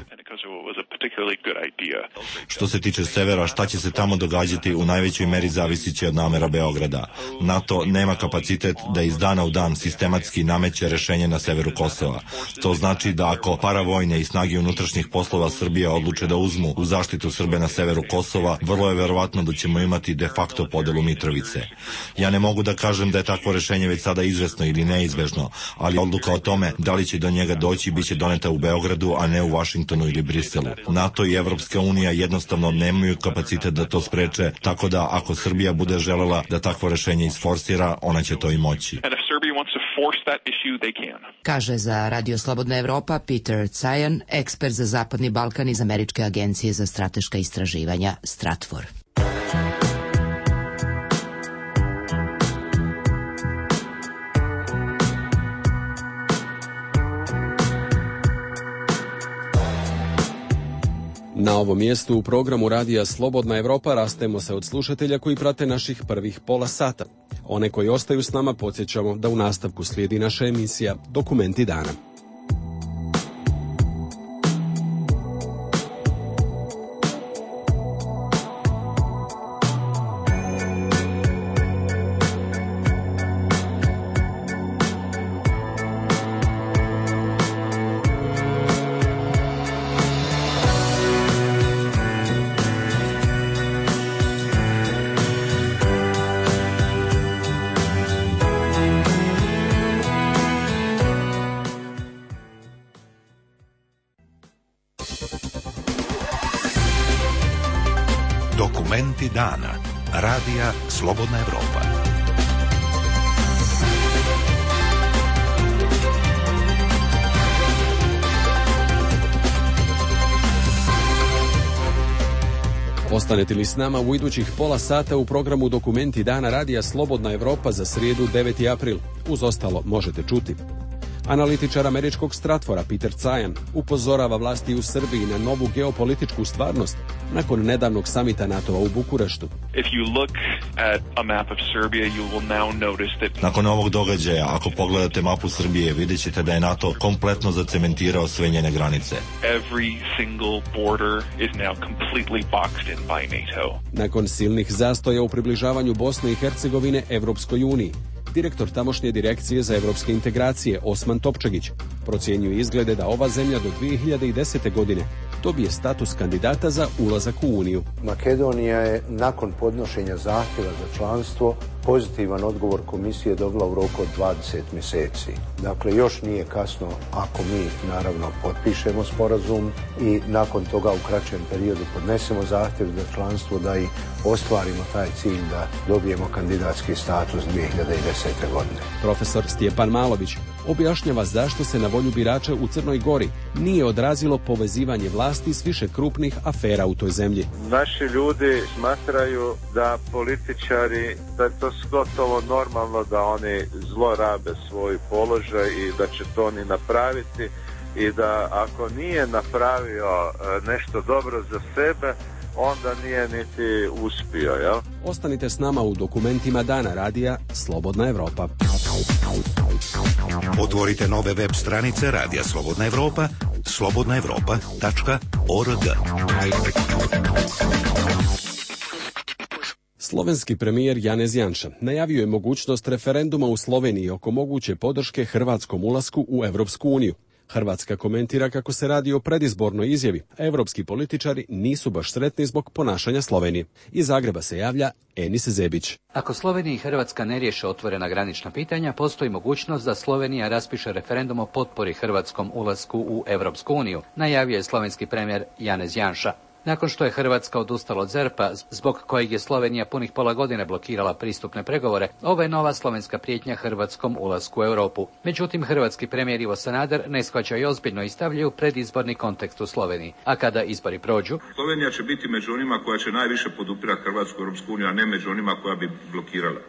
Što se tiče severa, šta će se tamo događati u najvećoj meri zavisiće od namera Beograda. NATO nema kapacitet da iz dana u dan sistematski nameće rešenje na severu Kosova. To znači da ako paravojne i snage unutrašnjih poslova Srbije odluče da uzmu u zaštitu Srbe na severu Kosova, vrlo je verovatno da ćemo imati de facto podelu Mitrovice. Ja ne mogu da kažem da je takvo rešenje već sada izvesno ili neizbežno, ali odluka o tome da li će do njega doći biće doneta u Beogradu, a ne u Vašingtonu ili Briselu. NATO i Evropska unija jednostavno nemaju kapacitet da to spreče, tako da ako Srbija bude želela da takvo rešenje isforsira, ona će to i moći. Kaže za Radio Slobodna Evropa Peter Cajan, ekspert za Zapadni Balkan iz Američke agencije za strateška istraživanja Stratfor. Na ovom mjestu u programu Radija Slobodna Evropa rastemo se od slušatelja koji prate naših prvih pola sata. One koji ostaju s nama podsjećamo da u nastavku slijedi naša emisija Dokumenti dana. Dokumenti dana. Radija Slobodna Evropa. Ostanete li s nama u idućih pola sata u programu Dokumenti dana Radija Slobodna Evropa za srijedu 9. april. Uz ostalo možete čuti. Analitičar američkog Stratvora Peter Cajan upozorava vlasti u Srbiji na novu geopolitičku stvarnost nakon nedavnog samita NATO-a u Bukureštu. Nakon ovog događaja, ako pogledate mapu Srbije, vidjet ćete da je NATO kompletno zacementirao sve njene granice. Nakon silnih zastoja u približavanju Bosne i Hercegovine Evropskoj uniji, direktor tamošnje direkcije za evropske integracije Osman Topčagić procjenjuje izglede da ova zemlja do 2010. godine dobije status kandidata za ulazak u Uniju. Makedonija je nakon podnošenja zahtjeva za članstvo pozitivan odgovor komisije dobila u roku od 20 mjeseci. Dakle, još nije kasno ako mi naravno potpišemo sporazum i nakon toga u kraćem periodu podnesemo zahtjev za članstvo da i ostvarimo taj cilj da dobijemo kandidatski status 2010. godine. Profesor Stjepan Malović objašnjava zašto se na volju birača u Crnoj Gori nije odrazilo povezivanje vlasti s više krupnih afera u toj zemlji. Naši ljudi smatraju da političari, da je to gotovo normalno da oni zlorabe svoj položaj i da će to oni napraviti i da ako nije napravio nešto dobro za sebe, onda nije niti uspio, jel? Ostanite s nama u Dokumentima dana Radija Slobodna Evropa. Otvorite nove web stranice Radija Slobodna Evropa, slobodnaevropa.org. Slovenski premijer Janez Janša najavio je mogućnost referenduma u Sloveniji oko moguće podrške hrvatskom ulasku u Evropsku uniju. Hrvatska komentira kako se radi o predizbornoj izjavi, a evropski političari nisu baš sretni zbog ponašanja Slovenije. Iz Zagreba se javlja Enis Zebić. Ako Slovenija i Hrvatska ne riješe otvorena granična pitanja, postoji mogućnost da Slovenija raspiše referendum o potpori hrvatskom ulasku u Evropsku uniju, najavio je slovenski premijer Janez Janša. Nakon što je Hrvatska odustala od ZERP-a, zbog kojeg je Slovenija punih pola godine blokirala pristupne pregovore, ovo je nova slovenska prijetnja hrvatskom ulasku u Europu. Međutim, hrvatski premijer Ivo Sanader ne shvaća i ozbiljno i stavljaju predizborni kontekst u Sloveniji. A kada izbori prođu, Slovenija će biti među onima koja će najviše podupirati Hrvatsku Europsku uniju, a ne među onima koja bi blokirala.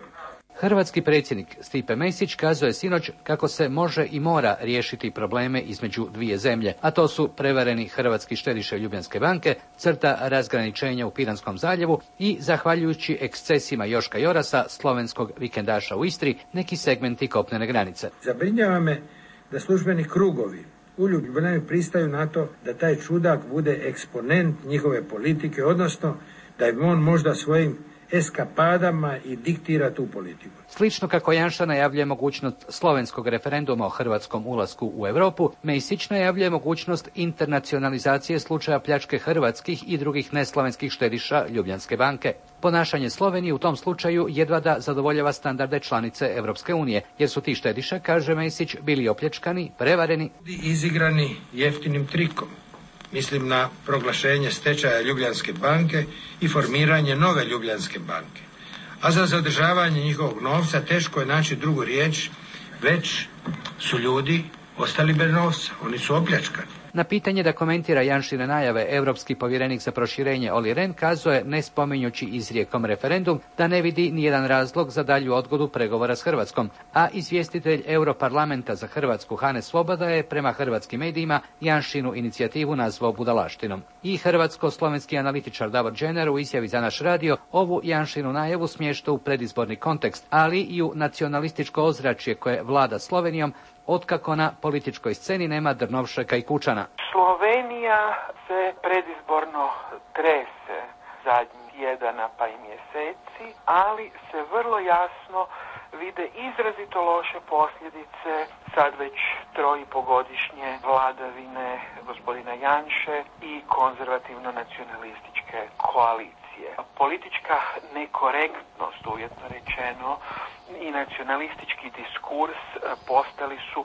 Hrvatski predsjednik Stipe Mesić kazao je sinoć kako se može i mora riješiti probleme između dvije zemlje, a to su prevareni hrvatski štediše Ljubljanske banke, crta razgraničenja u Piranskom zaljevu i, zahvaljujući ekscesima Joška Jorasa, slovenskog vikendaša u Istri, neki segmenti kopnene granice. Zabrinjava me da službeni krugovi u Ljubljani pristaju na to da taj čudak bude eksponent njihove politike, odnosno da je on možda svojim eskapadama i diktira tu politiku. Slično kako Janša najavljuje mogućnost slovenskog referenduma o hrvatskom ulasku u Europu, Mesić najavljuje mogućnost internacionalizacije slučaja pljačke hrvatskih i drugih neslovenskih štediša Ljubljanske banke. Ponašanje Slovenije u tom slučaju jedva da zadovoljava standarde članice Evropske unije, jer su ti štediše, kaže Mesić, bili opljačkani, prevareni, izigrani jeftinim trikom. Mislim na proglašenje stečaja Ljubljanske banke i formiranje nove Ljubljanske banke. A za zadržavanje njihovog novca teško je naći drugu riječ, već su ljudi ostali bez novca, oni su opljačkani. Na pitanje da komentira Janšine najave, europski povjerenik za proširenje Olli Rehn kazuje, ne spominjući izrijekom referendum, da ne vidi nijedan razlog za dalju odgodu pregovora s Hrvatskom, a izvjestitelj Europarlamenta za Hrvatsku Hane Svoboda je prema hrvatskim medijima Janšinu inicijativu nazvao budalaštinom. I hrvatsko-slovenski analitičar Davor Džener u izjavi za naš radio ovu Janšinu najavu smješta u predizborni kontekst, ali i u nacionalističko ozračje koje vlada Slovenijom, otkako na političkoj sceni nema Drnovšeka i Kučana. Slovenija se predizborno trese zadnjih tjedana pa i mjeseci, ali se vrlo jasno vide izrazito loše posljedice sad već 3,5-godišnje vladavine gospodina Janše i konzervativno-nacionalističke koalicije. Politička nekorektnost, uvjetno rečeno, i nacionalistički diskurs postali su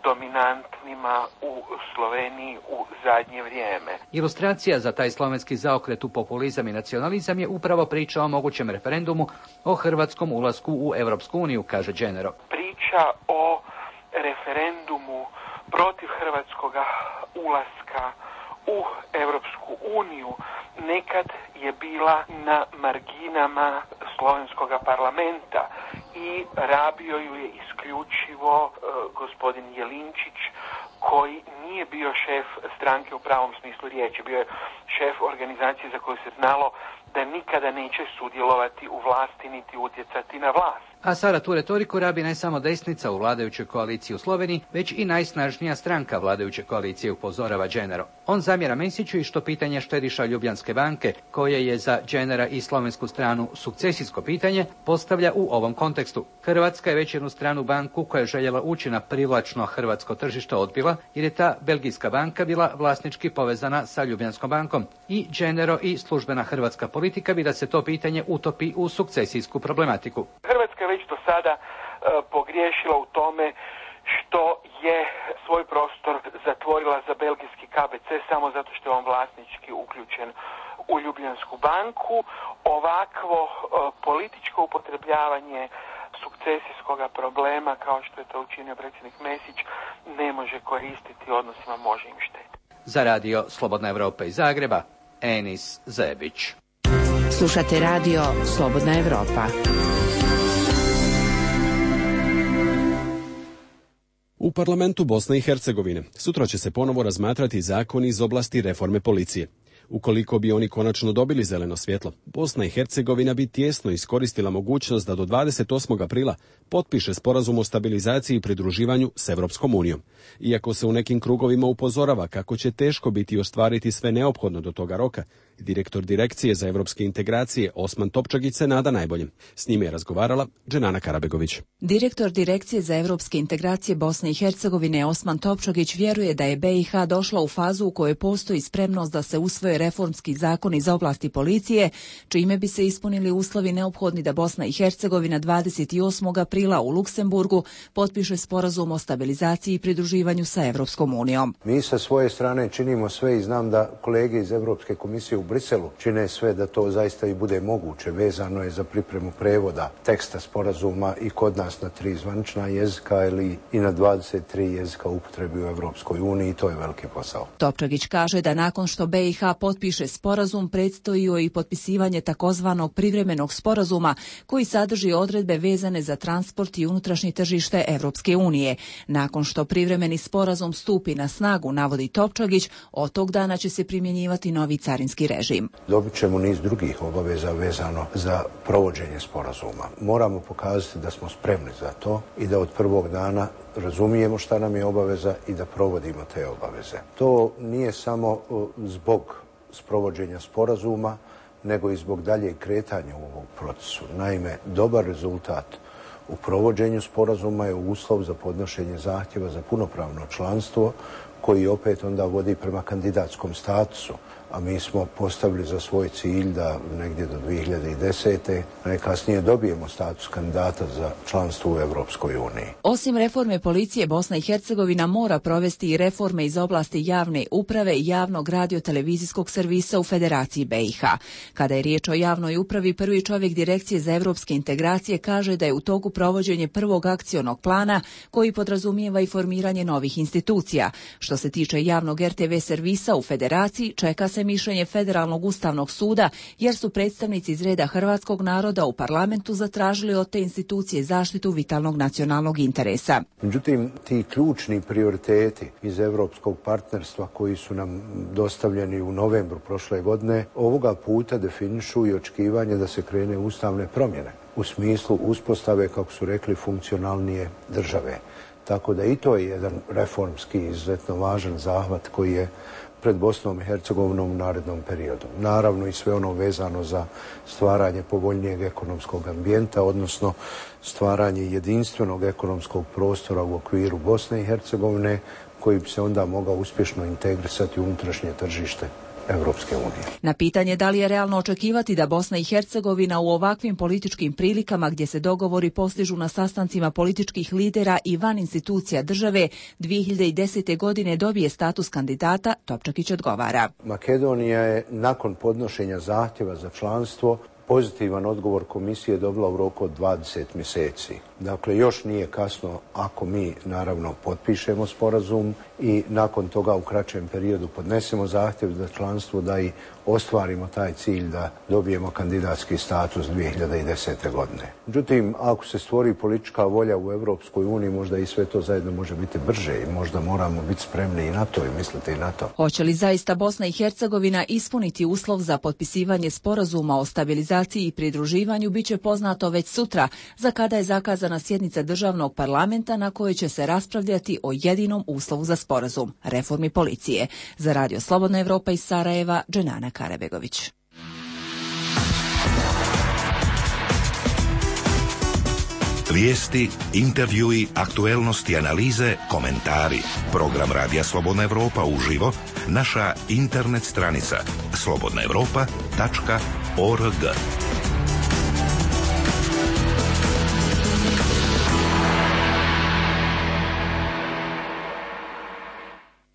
dominantnima u Sloveniji u zadnje vrijeme. Ilustracija za taj slovenski zaokret u populizam i nacionalizam je upravo priča o mogućem referendumu o hrvatskom ulasku u Europsku uniju, kaže Dženero. Priča o referendumu protiv hrvatskoga ulaska u Europsku uniju nekad je bila na marginama slovenskoga parlamenta i rabio ju je isključivo gospodin Jelinčić, koji nije bio šef stranke u pravom smislu riječi. Bio je šef organizacije za koju se znalo da nikada neće sudjelovati u vlasti niti utjecati na vlast. A sada tu retoriku rabi ne samo desnica u vladajućoj koaliciji u Sloveniji, već i najsnažnija stranka vladajuće koalicije, upozorava Dženero. On zamjera Mesiću i što pitanje štediša Ljubljanske banke, koje je za Dženera i slovensku stranu sukcesijsko pitanje, postavlja u ovom kontekstu. Hrvatska je već jednu stranu banku koja je željela ući na privlačno hrvatsko tržište odbila, jer je ta belgijska banka bila vlasnički povezana sa Ljubljanskom bankom. I Dženero i službena hrvatska politika bi da se to pitanje utopi u sukcesijsku problematiku. Hrvatska je već do sada pogriješila u tome što je svoj prostor zatvorila za belgijski KBC samo zato što je on vlasnički uključen u Ljubljansku banku. Ovakvo političko upotrebljavanje sukcesijskoga problema, kao što je to učinio predsjednik Mesić, ne može koristiti odnosima, može im štetiti. Za radio Slobodna Evropa iz Zagreba, Enis Zebić. Slušate radio Slobodna Evropa. U parlamentu Bosne i Hercegovine sutra će se ponovo razmatrati zakoni iz oblasti reforme policije. Ukoliko bi oni konačno dobili zeleno svjetlo, Bosna i Hercegovina bi tijesno iskoristila mogućnost da do 28. aprila potpiše sporazum o stabilizaciji i pridruživanju s Evropskom unijom. Iako se u nekim krugovima upozorava kako će teško biti ostvariti sve neophodno do toga roka, direktor Direkcije za evropske integracije Osman Topčagić se nada najboljem. S njime je razgovarala Dženana Karabegović. Direktor Direkcije za evropske integracije Bosne i Hercegovine Osman Topčagić vjeruje da je BiH došla u fazu u kojoj postoji spremnost da se usvoje reformski zakoni iz oblasti policije, čime bi se ispunili uslovi neophodni da Bosna i Hercegovina 28. aprila u Luksemburgu potpiše sporazum o stabilizaciji i pridruživanju sa Evropskom unijom. Mi sa svoje strane činimo sve i znam da kolege iz Evropske komisije u Briselu čine sve da to zaista i bude moguće. Vezano je za pripremu prevoda teksta sporazuma i kod nas na 3 zvanična jezika ili i na 23 jezika upotrebi u Evropskoj uniji i to je veliki posao. Topčagić kaže da nakon što BiH potpiše sporazum predstoji joj i potpisivanje takozvanog privremenog sporazuma koji sadrži odredbe vezane za transport i unutrašnje tržište Evropske unije. Nakon što privremeni sporazum stupi na snagu, navodi Topčagić, od tog dana će se primjenjivati novi carinski režim. Dobit ćemo niz drugih obaveza vezano za provođenje sporazuma. Moramo pokazati da smo spremni za to i da od prvog dana razumijemo šta nam je obaveza i da provodimo te obaveze. To nije samo zbog sprovođenja sporazuma, nego i zbog daljeg kretanja u ovom procesu. Naime, dobar rezultat u provođenju sporazuma je uslov za podnošenje zahtjeva za punopravno članstvo, koji opet onda vodi prema kandidatskom statusu. a mi smo postavili za svoj cilj da negdje do 2010. najkasnije dobijemo status kandidata za članstvo u Europskoj uniji. Osim reforme policije, Bosna i Hercegovina mora provesti i reforme iz oblasti javne uprave i javnog radio-televizijskog servisa u Federaciji BiH. Kada je riječ o javnoj upravi, prvi čovjek Direkcije za evropske integracije kaže da je u toku provođenje prvog akcionog plana koji podrazumijeva i formiranje novih institucija. Što se tiče javnog RTV servisa u Federaciji, čeka se mišljenje Federalnog ustavnog suda jer su predstavnici iz reda hrvatskog naroda u parlamentu zatražili od te institucije zaštitu vitalnog nacionalnog interesa. Međutim, ti ključni prioriteti iz europskog partnerstva koji su nam dostavljeni u novembru prošle godine, ovoga puta definišu i očekivanje da se krene ustavne promjene u smislu uspostave, kako su rekli, funkcionalnije države. Tako da i to je jedan reformski izuzetno važan zahvat koji je pred Bosnom i Hercegovinom u narednom periodu. Naravno i sve ono vezano za stvaranje povoljnijeg ekonomskog ambijenta, odnosno stvaranje jedinstvenog ekonomskog prostora u okviru Bosne i Hercegovine koji bi se onda mogao uspješno integrisati u unutrašnje tržište Evropske unije. Na pitanje da li je realno očekivati da Bosna i Hercegovina u ovakvim političkim prilikama gdje se dogovori postižu na sastancima političkih lidera i van institucija države 2010. godine dobije status kandidata, Topčakić odgovara. Makedonija je nakon podnošenja zahtjeva za članstvo pozitivan odgovor komisije dobila u roku od 20 mjeseci. Dakle, još nije kasno ako mi, naravno, potpišemo sporazum i nakon toga u kraćem periodu podnesemo zahtjev za članstvo da i ostvarimo taj cilj da dobijemo kandidatski status 2010. godine. Međutim, ako se stvori politička volja u Europskoj uniji, možda i sve to zajedno može biti brže i možda moramo biti spremni i na to i misliti i na to. Hoće li zaista Bosna i Hercegovina ispuniti uslov za potpisivanje sporazuma o stabilizaciji i pridruživanju biće poznato već sutra, za kada je zakazana sjednica državnog parlamenta na kojoj će se raspravljati o jedinom uslovu za sporazum, reformi policije. Za Radio Slobodna Evropa iz Sarajeva, Dženana Karabegović. Vijesti, intervjui, aktuelnosti, analize, komentari. Program Radija Slobodna Evropa uživo, naša internet stranica slobodnaevropa.org.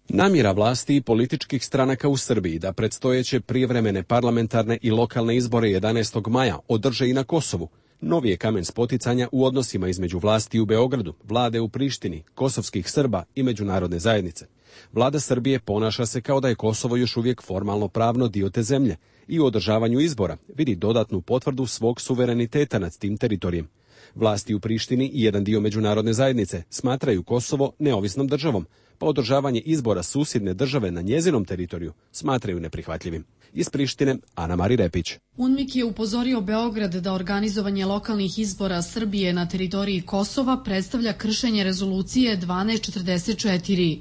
Namjera vlasti i političkih stranaka u Srbiji da predstojeće prijevremene parlamentarne i lokalne izbore 11. maja održe i na Kosovu novi je kamen spoticanja u odnosima između vlasti u Beogradu, vlade u Prištini, kosovskih Srba i međunarodne zajednice. Vlada Srbije ponaša se kao da je Kosovo još uvijek formalno pravno dio te zemlje i u održavanju izbora vidi dodatnu potvrdu svog suvereniteta nad tim teritorijem. Vlasti u Prištini i jedan dio međunarodne zajednice smatraju Kosovo neovisnom državom, pa održavanje izbora susjedne države na njezinom teritoriju smatraju neprihvatljivim. Iz Prištine, Ana Mari Repić. UNMIK je upozorio Beograd da organizovanje lokalnih izbora Srbije na teritoriji Kosova predstavlja kršenje rezolucije 1244.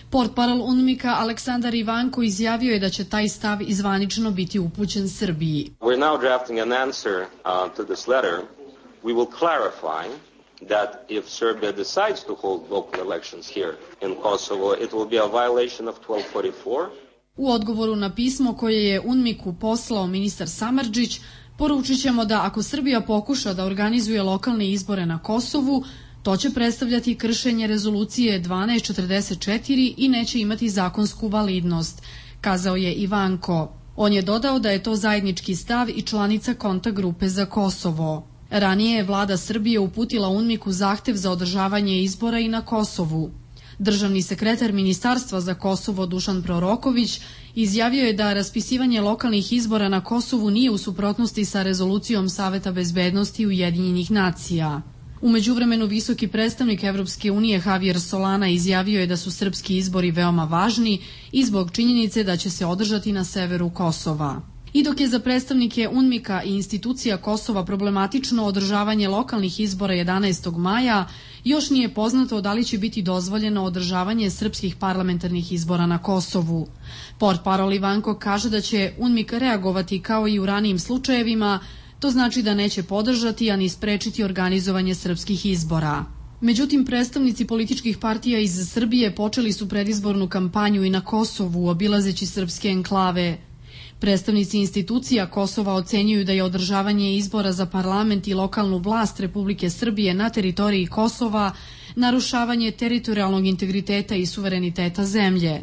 Portparol UNMIK-a Aleksandar Ivanko izjavio je da će taj stav izvanično biti upućen Srbiji. We're now drafting an answer to this letter. We will clarify that if Serbia decides to hold local elections here in Kosovo, it will be a violation of 1244. U odgovoru na pismo koje je UNMIK-u poslao ministar Samardžić, poručit ćemo da ako Srbija pokuša da organizuje lokalne izbore na Kosovu, to će predstavljati kršenje rezolucije 1244 i neće imati zakonsku validnost, kazao je Ivanko. On je dodao da je to zajednički stav i članica kontakt grupe za Kosovo. Ranije je vlada Srbije uputila UNMIK-u zahtev za održavanje izbora i na Kosovu. Državni sekretar Ministarstva za Kosovo Dušan Proroković izjavio je da raspisivanje lokalnih izbora na Kosovu nije u suprotnosti sa rezolucijom Saveta bezbednosti Ujedinjenih nacija. U međuvremenu visoki predstavnik Evropske unije Javier Solana izjavio je da su srpski izbori veoma važni i zbog činjenice da će se održati na severu Kosova. I dok je za predstavnike UNMIK-a i institucija Kosova problematično održavanje lokalnih izbora 11. maja, još nije poznato da li će biti dozvoljeno održavanje srpskih parlamentarnih izbora na Kosovu. Portparol Ivanko kaže da će UNMIK reagovati kao i u ranijim slučajevima, to znači da neće podržati, a ni sprečiti organizovanje srpskih izbora. Međutim, predstavnici političkih partija iz Srbije počeli su predizbornu kampanju i na Kosovu, obilazeći srpske enklave. Predstavnici institucija Kosova ocenjuju da je održavanje izbora za parlament i lokalnu vlast Republike Srbije na teritoriji Kosova narušavanje teritorijalnog integriteta i suvereniteta zemlje.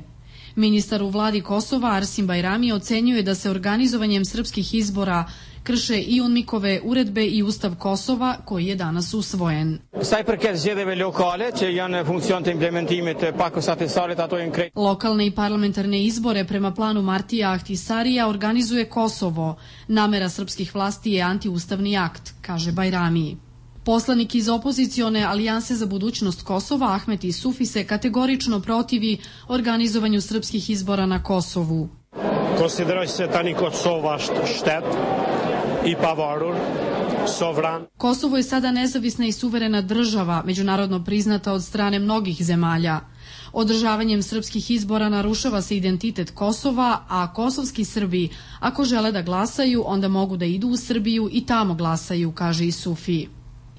Ministar u vladi Kosova Arsim Bajrami ocenjuje da se organizovanjem srpskih izbora krše i UNMIK-ove uredbe i Ustav Kosova koji je danas usvojen. Lokalne i parlamentarne izbore prema planu Martija Ahtisarija organizuje Kosovo. Namera srpskih vlasti je antiustavni akt, kaže Bajrami. Poslanik iz opozicione Alijanse za budućnost Kosova Ahmet Isufi se kategorično protivi organizovanju srpskih izbora na Kosovu. Konsideroj se tani Kosova štet i pavarur, sovran. Kosovo je sada nezavisna i suverena država, međunarodno priznata od strane mnogih zemalja. Održavanjem srpskih izbora narušava se identitet Kosova, a kosovski Srbi, ako žele da glasaju, onda mogu da idu u Srbiju i tamo glasaju, kaže Isufi.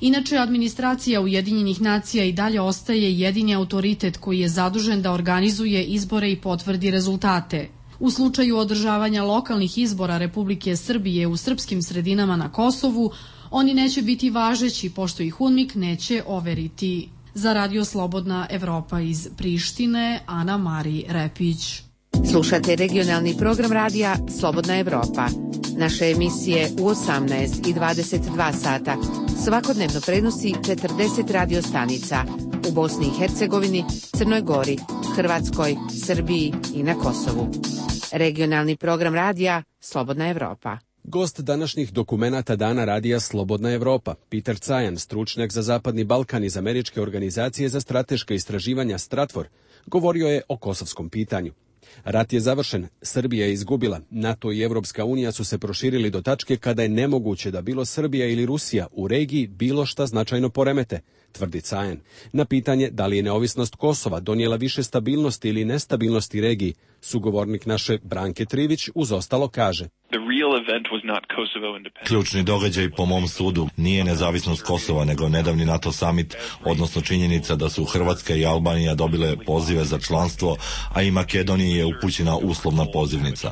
Inače, administracija Ujedinjenih nacija i dalje ostaje jedini autoritet koji je zadužen da organizuje izbore i potvrdi rezultate. U slučaju održavanja lokalnih izbora Republike Srbije u srpskim sredinama na Kosovu, oni neće biti važeći pošto ih UNMIK neće overiti. Za Radio Slobodna Evropa iz Prištine, Ana Mari Repić. Slušate regionalni program radija Slobodna Evropa. Naše emisije u 18 i 22 sata svakodnevno prenosi 40 radio stanica u Bosni i Hercegovini, Crnoj Gori, Hrvatskoj, Srbiji i na Kosovu. Regionalni program radija Slobodna Evropa. Gost današnjih dokumenata Dana radija Slobodna Evropa, Peter Cajan, stručnjak za Zapadni Balkan iz Američke organizacije za strateška istraživanja Stratfor, govorio je o kosovskom pitanju. Rat je završen, Srbija je izgubila, NATO i Evropska unija su se proširili do tačke kada je nemoguće da bilo Srbija ili Rusija u regiji bilo šta značajno poremete, tvrdi Cajan. Na pitanje da li je neovisnost Kosova donijela više stabilnosti ili nestabilnosti regiji, sugovornik naše Branke Trivić uz ostalo kaže. Ključni događaj po mom sudu nije nezavisnost Kosova, nego nedavni NATO summit, odnosno činjenica da su Hrvatska i Albanija dobile pozive za članstvo, a i Makedoniji je upućena uslovna pozivnica.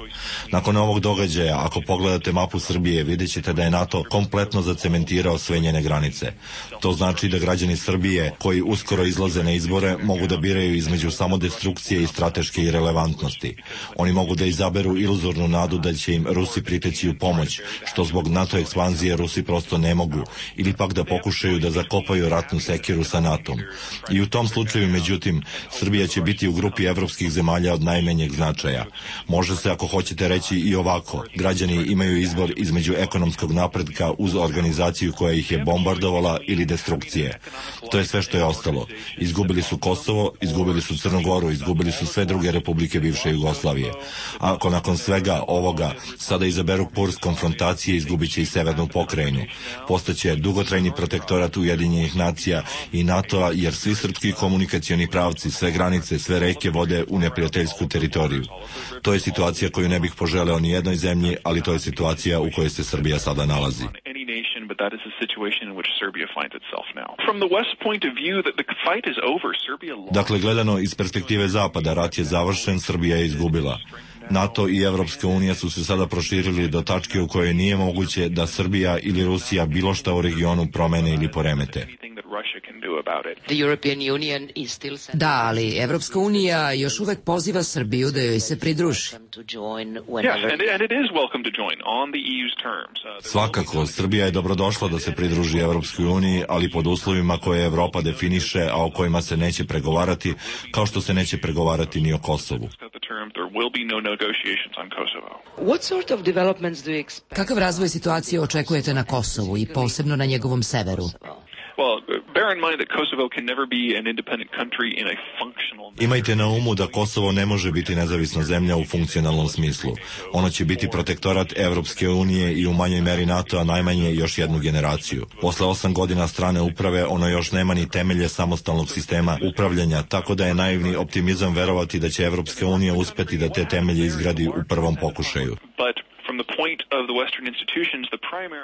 Nakon ovog događaja, ako pogledate mapu Srbije, vidjet ćete da je NATO kompletno zacementirao sve njene granice. To znači da građani Srbije, koji uskoro izlaze na izbore, mogu da biraju između samodestrukcije i strateške irelevantnosti. Oni mogu da izaberu iluzornu nadu da će im Rusi priteći u pomoć, što zbog NATO ekspanzije Rusi prosto ne mogu, ili pak da pokušaju da zakopaju ratnu sekiru sa NATO-om. I u tom slučaju, međutim, Srbija će biti u grupi evropskih zemalja od najmanjeg značaja. Može se, ako hoćete, reći i ovako. Građani imaju izbor između ekonomskog napretka uz organizaciju koja ih je bombardovala ili destrukcije. To je sve što je ostalo. Izgubili su Kosovo, izgubili su Crnu Goru, izgubili su sve druge republike bivše Jugoslavije. Ako nakon svega ovoga sada izaberu kurs konfrontacije, izgubit će i severnu pokrajinu. Postaće dugotrajni protektorat Ujedinjenih nacija i NATO-a, jer svi srpski komunikacioni pravci, sve granice, sve reke vode u neprijateljsku teritoriju. To je situacija koju ne bih poželeo ni jednoj zemlji, ali to je situacija u kojoj se Srbija sada nalazi. But that is the situation in which Serbia finds itself now. From the West point of view that the fight is over, Serbia lost. Dakle, gledano iz perspektive Zapada, rat je završen, Srbija je izgubila. NATO i Evropska unija su se sada proširili do tačke u kojoj nije moguće da Srbija ili Rusija bilo šta u regionu promene ili poremete. Da, ali Evropska unija još uvek poziva Srbiju da joj se pridruži. Svakako, Srbija je dobrodošla da se pridruži Evropskoj uniji, ali pod uslovima koje Evropa definiše, a o kojima se neće pregovarati, kao što se neće pregovarati ni o Kosovu. Kakav razvoj situacije očekujete na Kosovu i posebno na njegovom severu? Imajte na umu da Kosovo ne može biti nezavisna zemlja u funkcionalnom smislu. Ono će biti protektorat Evropske unije i u manjoj meri NATO-a najmanje još jednu generaciju. Posle 8 godina strane uprave ono još nema ni temelje samostalnog sistema upravljanja, tako da je naivni optimizam verovati da će Evropska unija uspeti da te temelje izgradi u prvom pokušaju.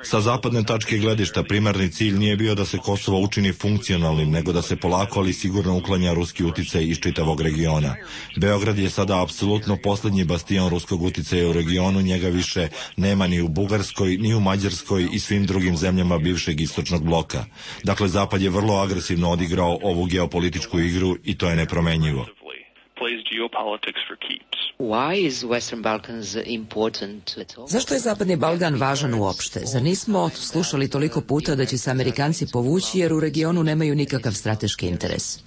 Sa zapadne tačke gledišta primarni cilj nije bio da se Kosovo učini funkcionalnim, nego da se polako ali sigurno uklanja ruski uticaj iz čitavog regiona. Beograd je sada apsolutno posljednji bastion ruskog uticaja u regionu, njega više nema ni u Bugarskoj, ni u Mađarskoj i svim drugim zemljama bivšeg istočnog bloka. Dakle, Zapad je vrlo agresivno odigrao ovu geopolitičku igru i to je nepromenjivo. Zašto je Zapadni Balkan važan uopšte? Zar nismo slušali toliko puta da će se Amerikanci povući jer u regionu nemaju nikakav strateški interes?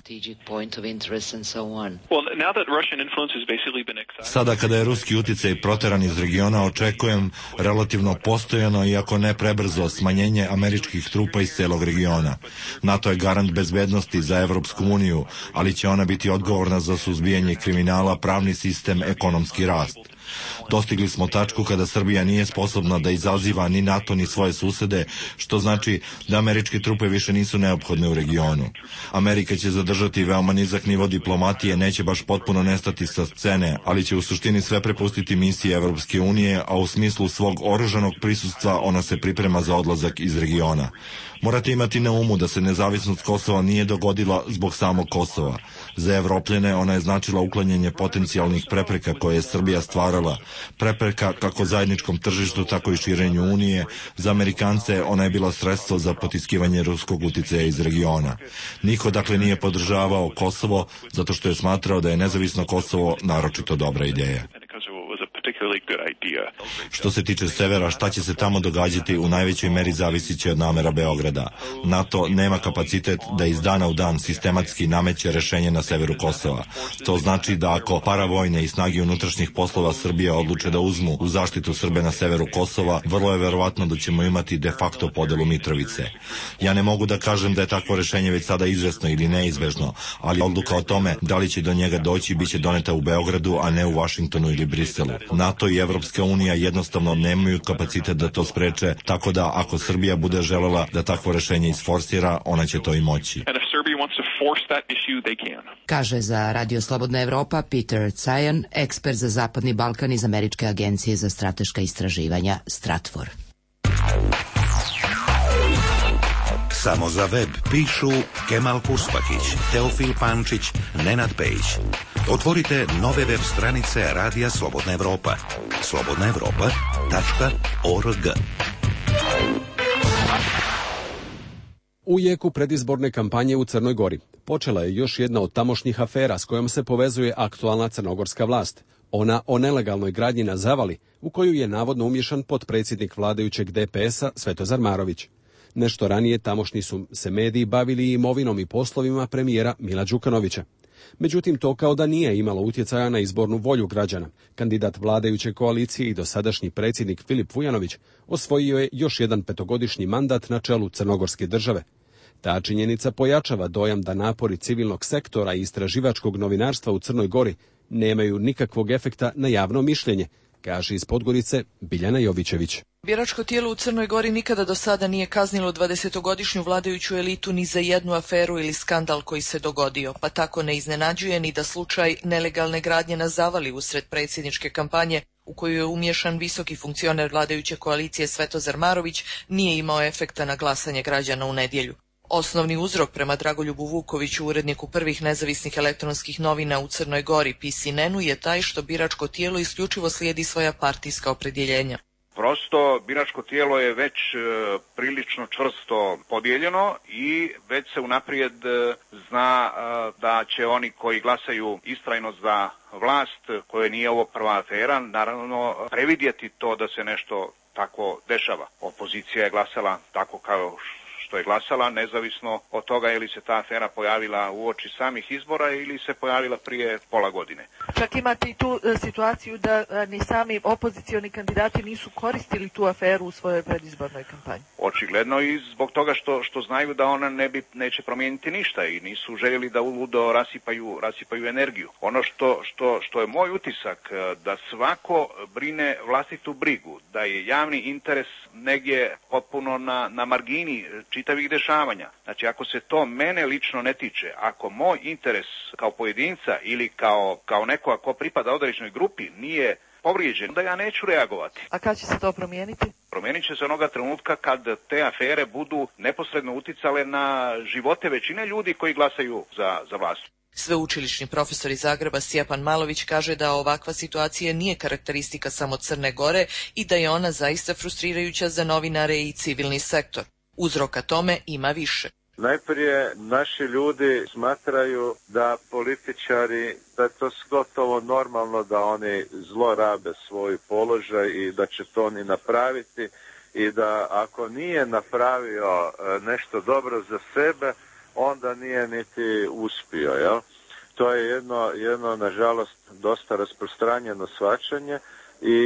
Sada kada je ruski uticaj proteran iz regiona, očekujem relativno postojano, iako ne prebrzo, smanjenje američkih trupa iz celog regiona. NATO je garant bezbednosti za Evropsku uniju, ali će ona biti odgovorna za suzbijanje kriminala, pravni sistem, ekonomski rast. Dostigli smo tačku kada Srbija nije sposobna da izaziva ni NATO ni svoje susede, što znači da američke trupe više nisu neophodne u regionu. Amerika će zadržati veoma nizak nivo diplomatije, neće baš potpuno nestati sa scene, ali će u suštini sve prepustiti misiji Evropske unije, a u smislu svog oružanog prisustva ona se priprema za odlazak iz regiona. Morate imati na umu da se nezavisnost Kosova nije dogodila zbog samog Kosova. Za Evropljene ona je značila uklanjanje potencijalnih prepreka koje je Srbija stvarala. Prepreka kako zajedničkom tržištu, tako i širenju Unije. Za Amerikance ona je bila sredstvo za potiskivanje ruskog uticaja iz regiona. Niko dakle nije podržavao Kosovo zato što je smatrao da je nezavisno Kosovo naročito dobra ideja. Što se tiče severa, šta će se tamo događati u najvećoj meri zavisit će od namera Beograda. NATO nema kapacitet da iz dana u dan sistematski nameće rešenje na severu Kosova. To znači da ako paravojne i snage unutrašnjih poslova Srbije odluče da uzmu u zaštitu Srbe na severu Kosova, vrlo je verovatno da ćemo imati de facto podelu Mitrovice. Ja ne mogu da kažem da je takvo rešenje već sada izvesno ili neizbežno, ali odluka o tome da li će do njega doći biće doneta u Beogradu, a ne u Vašingtonu ili Briselu. NATO i Evropska unija jednostavno nemaju kapacitet da to spreče, tako da ako Srbija bude želela da takvo rešenje isforsira, ona će to i moći. Kaže za Radio Slobodna Evropa Peter Cajan, ekspert za Zapadni Balkan iz Američke agencije za strateška istraživanja Stratfor. Samo za web pišu Kemal Puspakić, Teofil Pančić, Nenad Pejić. Otvorite nove web stranice Radija Slobodna Evropa. slobodnaevropa.org. U jeku predizborne kampanje u Crnoj Gori počela je još jedna od tamošnjih afera s kojom se povezuje aktualna crnogorska vlast. Ona o nelegalnoj gradnji na Zavali, u koju je navodno umješan potpredsjednik vladajućeg DPS-a Svetozar Marović. Nešto ranije tamošnji su se mediji bavili imovinom i poslovima premijera Mila Đukanovića. Međutim, to kao da nije imalo utjecaja na izbornu volju građana. Kandidat vladajuće koalicije i dosadašnji predsjednik Filip Vujanović osvojio je još jedan 5-godišnji mandat na čelu crnogorske države. Ta činjenica pojačava dojam da napori civilnog sektora i istraživačkog novinarstva u Crnoj Gori nemaju nikakvog efekta na javno mišljenje, kaže iz Podgorice Biljana Jovićević. Biračko tijelo u Crnoj Gori nikada do sada nije kaznilo 20-godišnju vladajuću elitu ni za jednu aferu ili skandal koji se dogodio, pa tako ne iznenađuje ni da slučaj nelegalne gradnje na Zavali usred predsjedničke kampanje, u koju je umješan visoki funkcioner vladajuće koalicije Svetozar Marović, nije imao efekta na glasanje građana u nedjelju. Osnovni uzrok prema Dragoljubu Vukoviću, uredniku prvih nezavisnih elektronskih novina u Crnoj Gori, PCN-u, je taj što biračko tijelo isključivo slijedi svoja partijska opredjeljenja. Prosto, biračko tijelo je već prilično čvrsto podijeljeno i već se unaprijed zna da će oni koji glasaju istrajno za vlast, koje nije ovo prva afera, naravno previdjeti to da se nešto tako dešava. Opozicija je glasala tako kao što je glasala, nezavisno od toga je li se ta afera pojavila uoči samih izbora ili se pojavila prije pola godine. Čak imate i tu situaciju da ni sami opozicioni kandidati nisu koristili tu aferu u svojoj predizbornoj kampanji. Očigledno i zbog toga što znaju da ona neće promijeniti ništa i nisu željeli da uludo rasipaju energiju. Ono što je moj utisak, da svako brine vlastitu brigu, da je javni interes negdje potpuno na margini čitavih dešavanja. Znači, ako se to mene lično ne tiče, ako moj interes kao pojedinca ili kao nekoga ko pripada određenoj grupi nije povrijeđen, da ja neću reagovati. A kad će se to promijeniti? Promijenit će se onoga trenutka kad te afere budu neposredno uticale na živote većine ljudi koji glasaju za vlast. Sveučilišni profesor iz Zagreba Stjepan Malović kaže da ovakva situacija nije karakteristika samo Crne Gore i da je ona zaista frustrirajuća za novinare i civilni sektor. Uzroka tome ima više. Najprije naši ljudi smatraju da političari, da je to gotovo normalno da oni zlorabe svoj položaj i da će to oni napraviti i da ako nije napravio nešto dobro za sebe, onda nije niti uspio, jel? To je jedno nažalost dosta rasprostranjeno shvaćanje i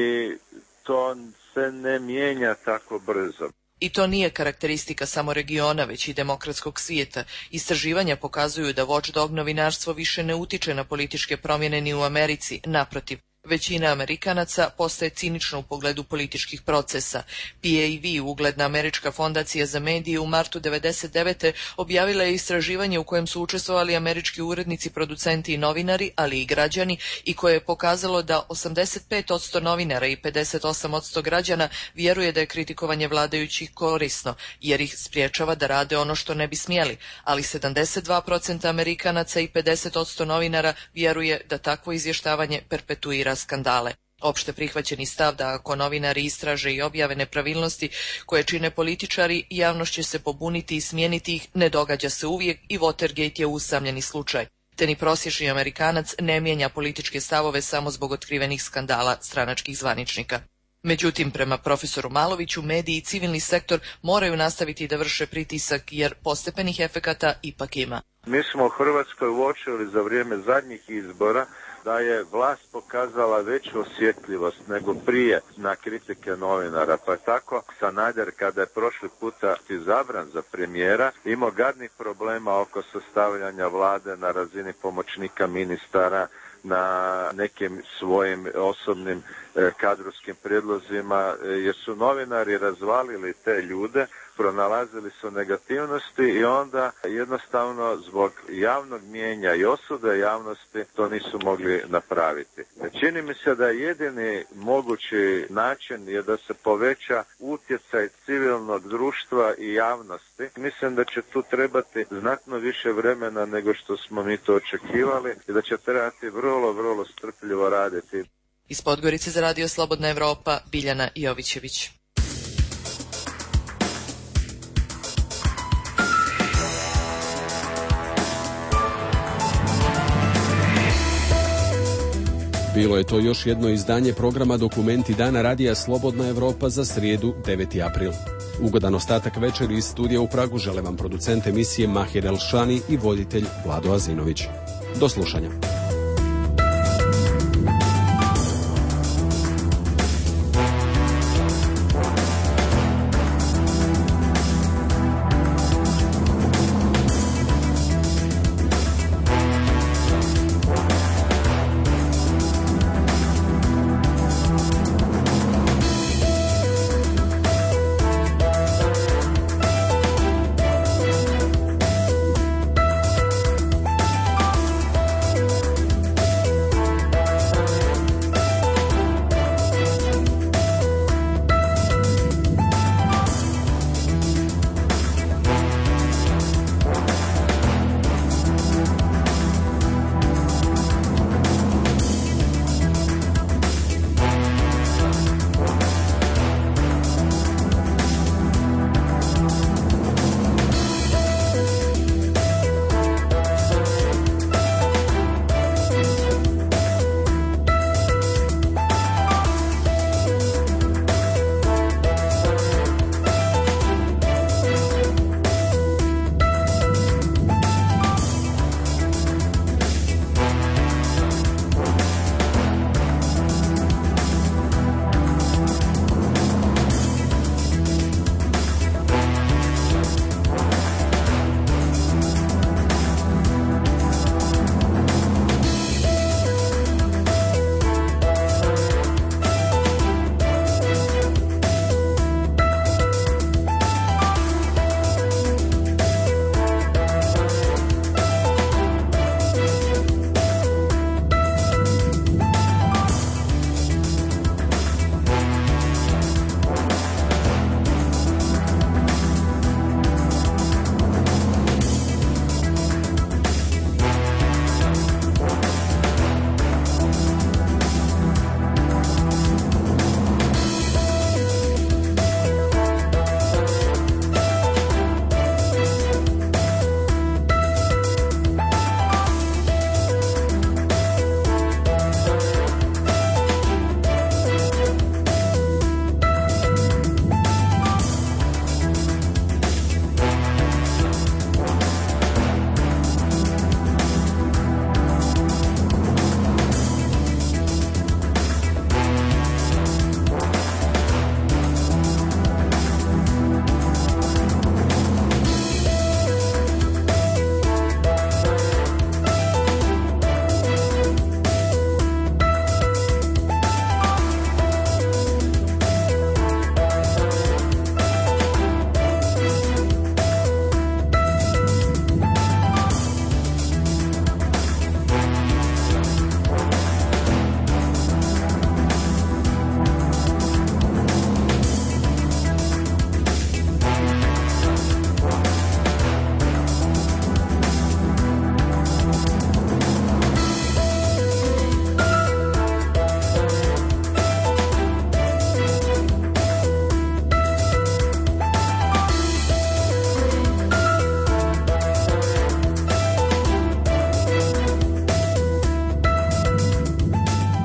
to se ne mijenja tako brzo. I to nije karakteristika samo regiona, već i demokratskog svijeta. Istraživanja pokazuju da watchdog novinarstvo više ne utiče na političke promjene ni u Americi, naprotiv. Većina Amerikanaca postaje cinična u pogledu političkih procesa. PAV, ugledna američka fondacija za medije, u martu 1999. objavila je istraživanje u kojem su učestvovali američki urednici, producenti i novinari, ali i građani, i koje je pokazalo da 85% novinara i 58% građana vjeruje da je kritikovanje vladajućih korisno, jer ih spriječava da rade ono što ne bi smjeli, ali 72% Amerikanaca i 50% novinara vjeruje da takvo izvještavanje perpetuira skandale. Opšte prihvaćeni stav da ako novinari istraže i objave nepravilnosti koje čine političari, javnost će se pobuniti i smijeniti ih, ne događa se uvijek i Watergate je usamljeni slučaj. Te ni prosječni Amerikanac ne mijenja političke stavove samo zbog otkrivenih skandala stranačkih zvaničnika. Međutim, prema profesoru Maloviću, mediji i civilni sektor moraju nastaviti da vrše pritisak jer postepenih efekata ipak ima. Mi smo u Hrvatskoj uočili za vrijeme zadnjih izbora da je vlast pokazala veću osjetljivost nego prije na kritike novinara, pa tako Sanader kada je prošli puta izabran za premijera imao gadnih problema oko sastavljanja vlade na razini pomoćnika ministara, na nekim svojim osobnim kadrovskim prijedlozima, jer su novinari razvalili te ljude, pronalazili su negativnosti i onda jednostavno zbog javnog mijenja i osude javnosti to nisu mogli napraviti. Čini mi se da jedini mogući način je da se poveća utjecaj civilnog društva i javnosti. Mislim da će tu trebati znatno više vremena nego što smo mi to očekivali i da će trebati vrlo strpljivo raditi. Iz Podgorice za Radio Slobodna Evropa, Biljana Jovićević. Bilo je to još jedno izdanje programa Dokumenti dana Radija Slobodna Evropa za srijedu 9. april. Ugodan ostatak večeri iz studija u Pragu žele vam producent emisije Mahir Elšani i voditelj Vlado Azinović. Do slušanja.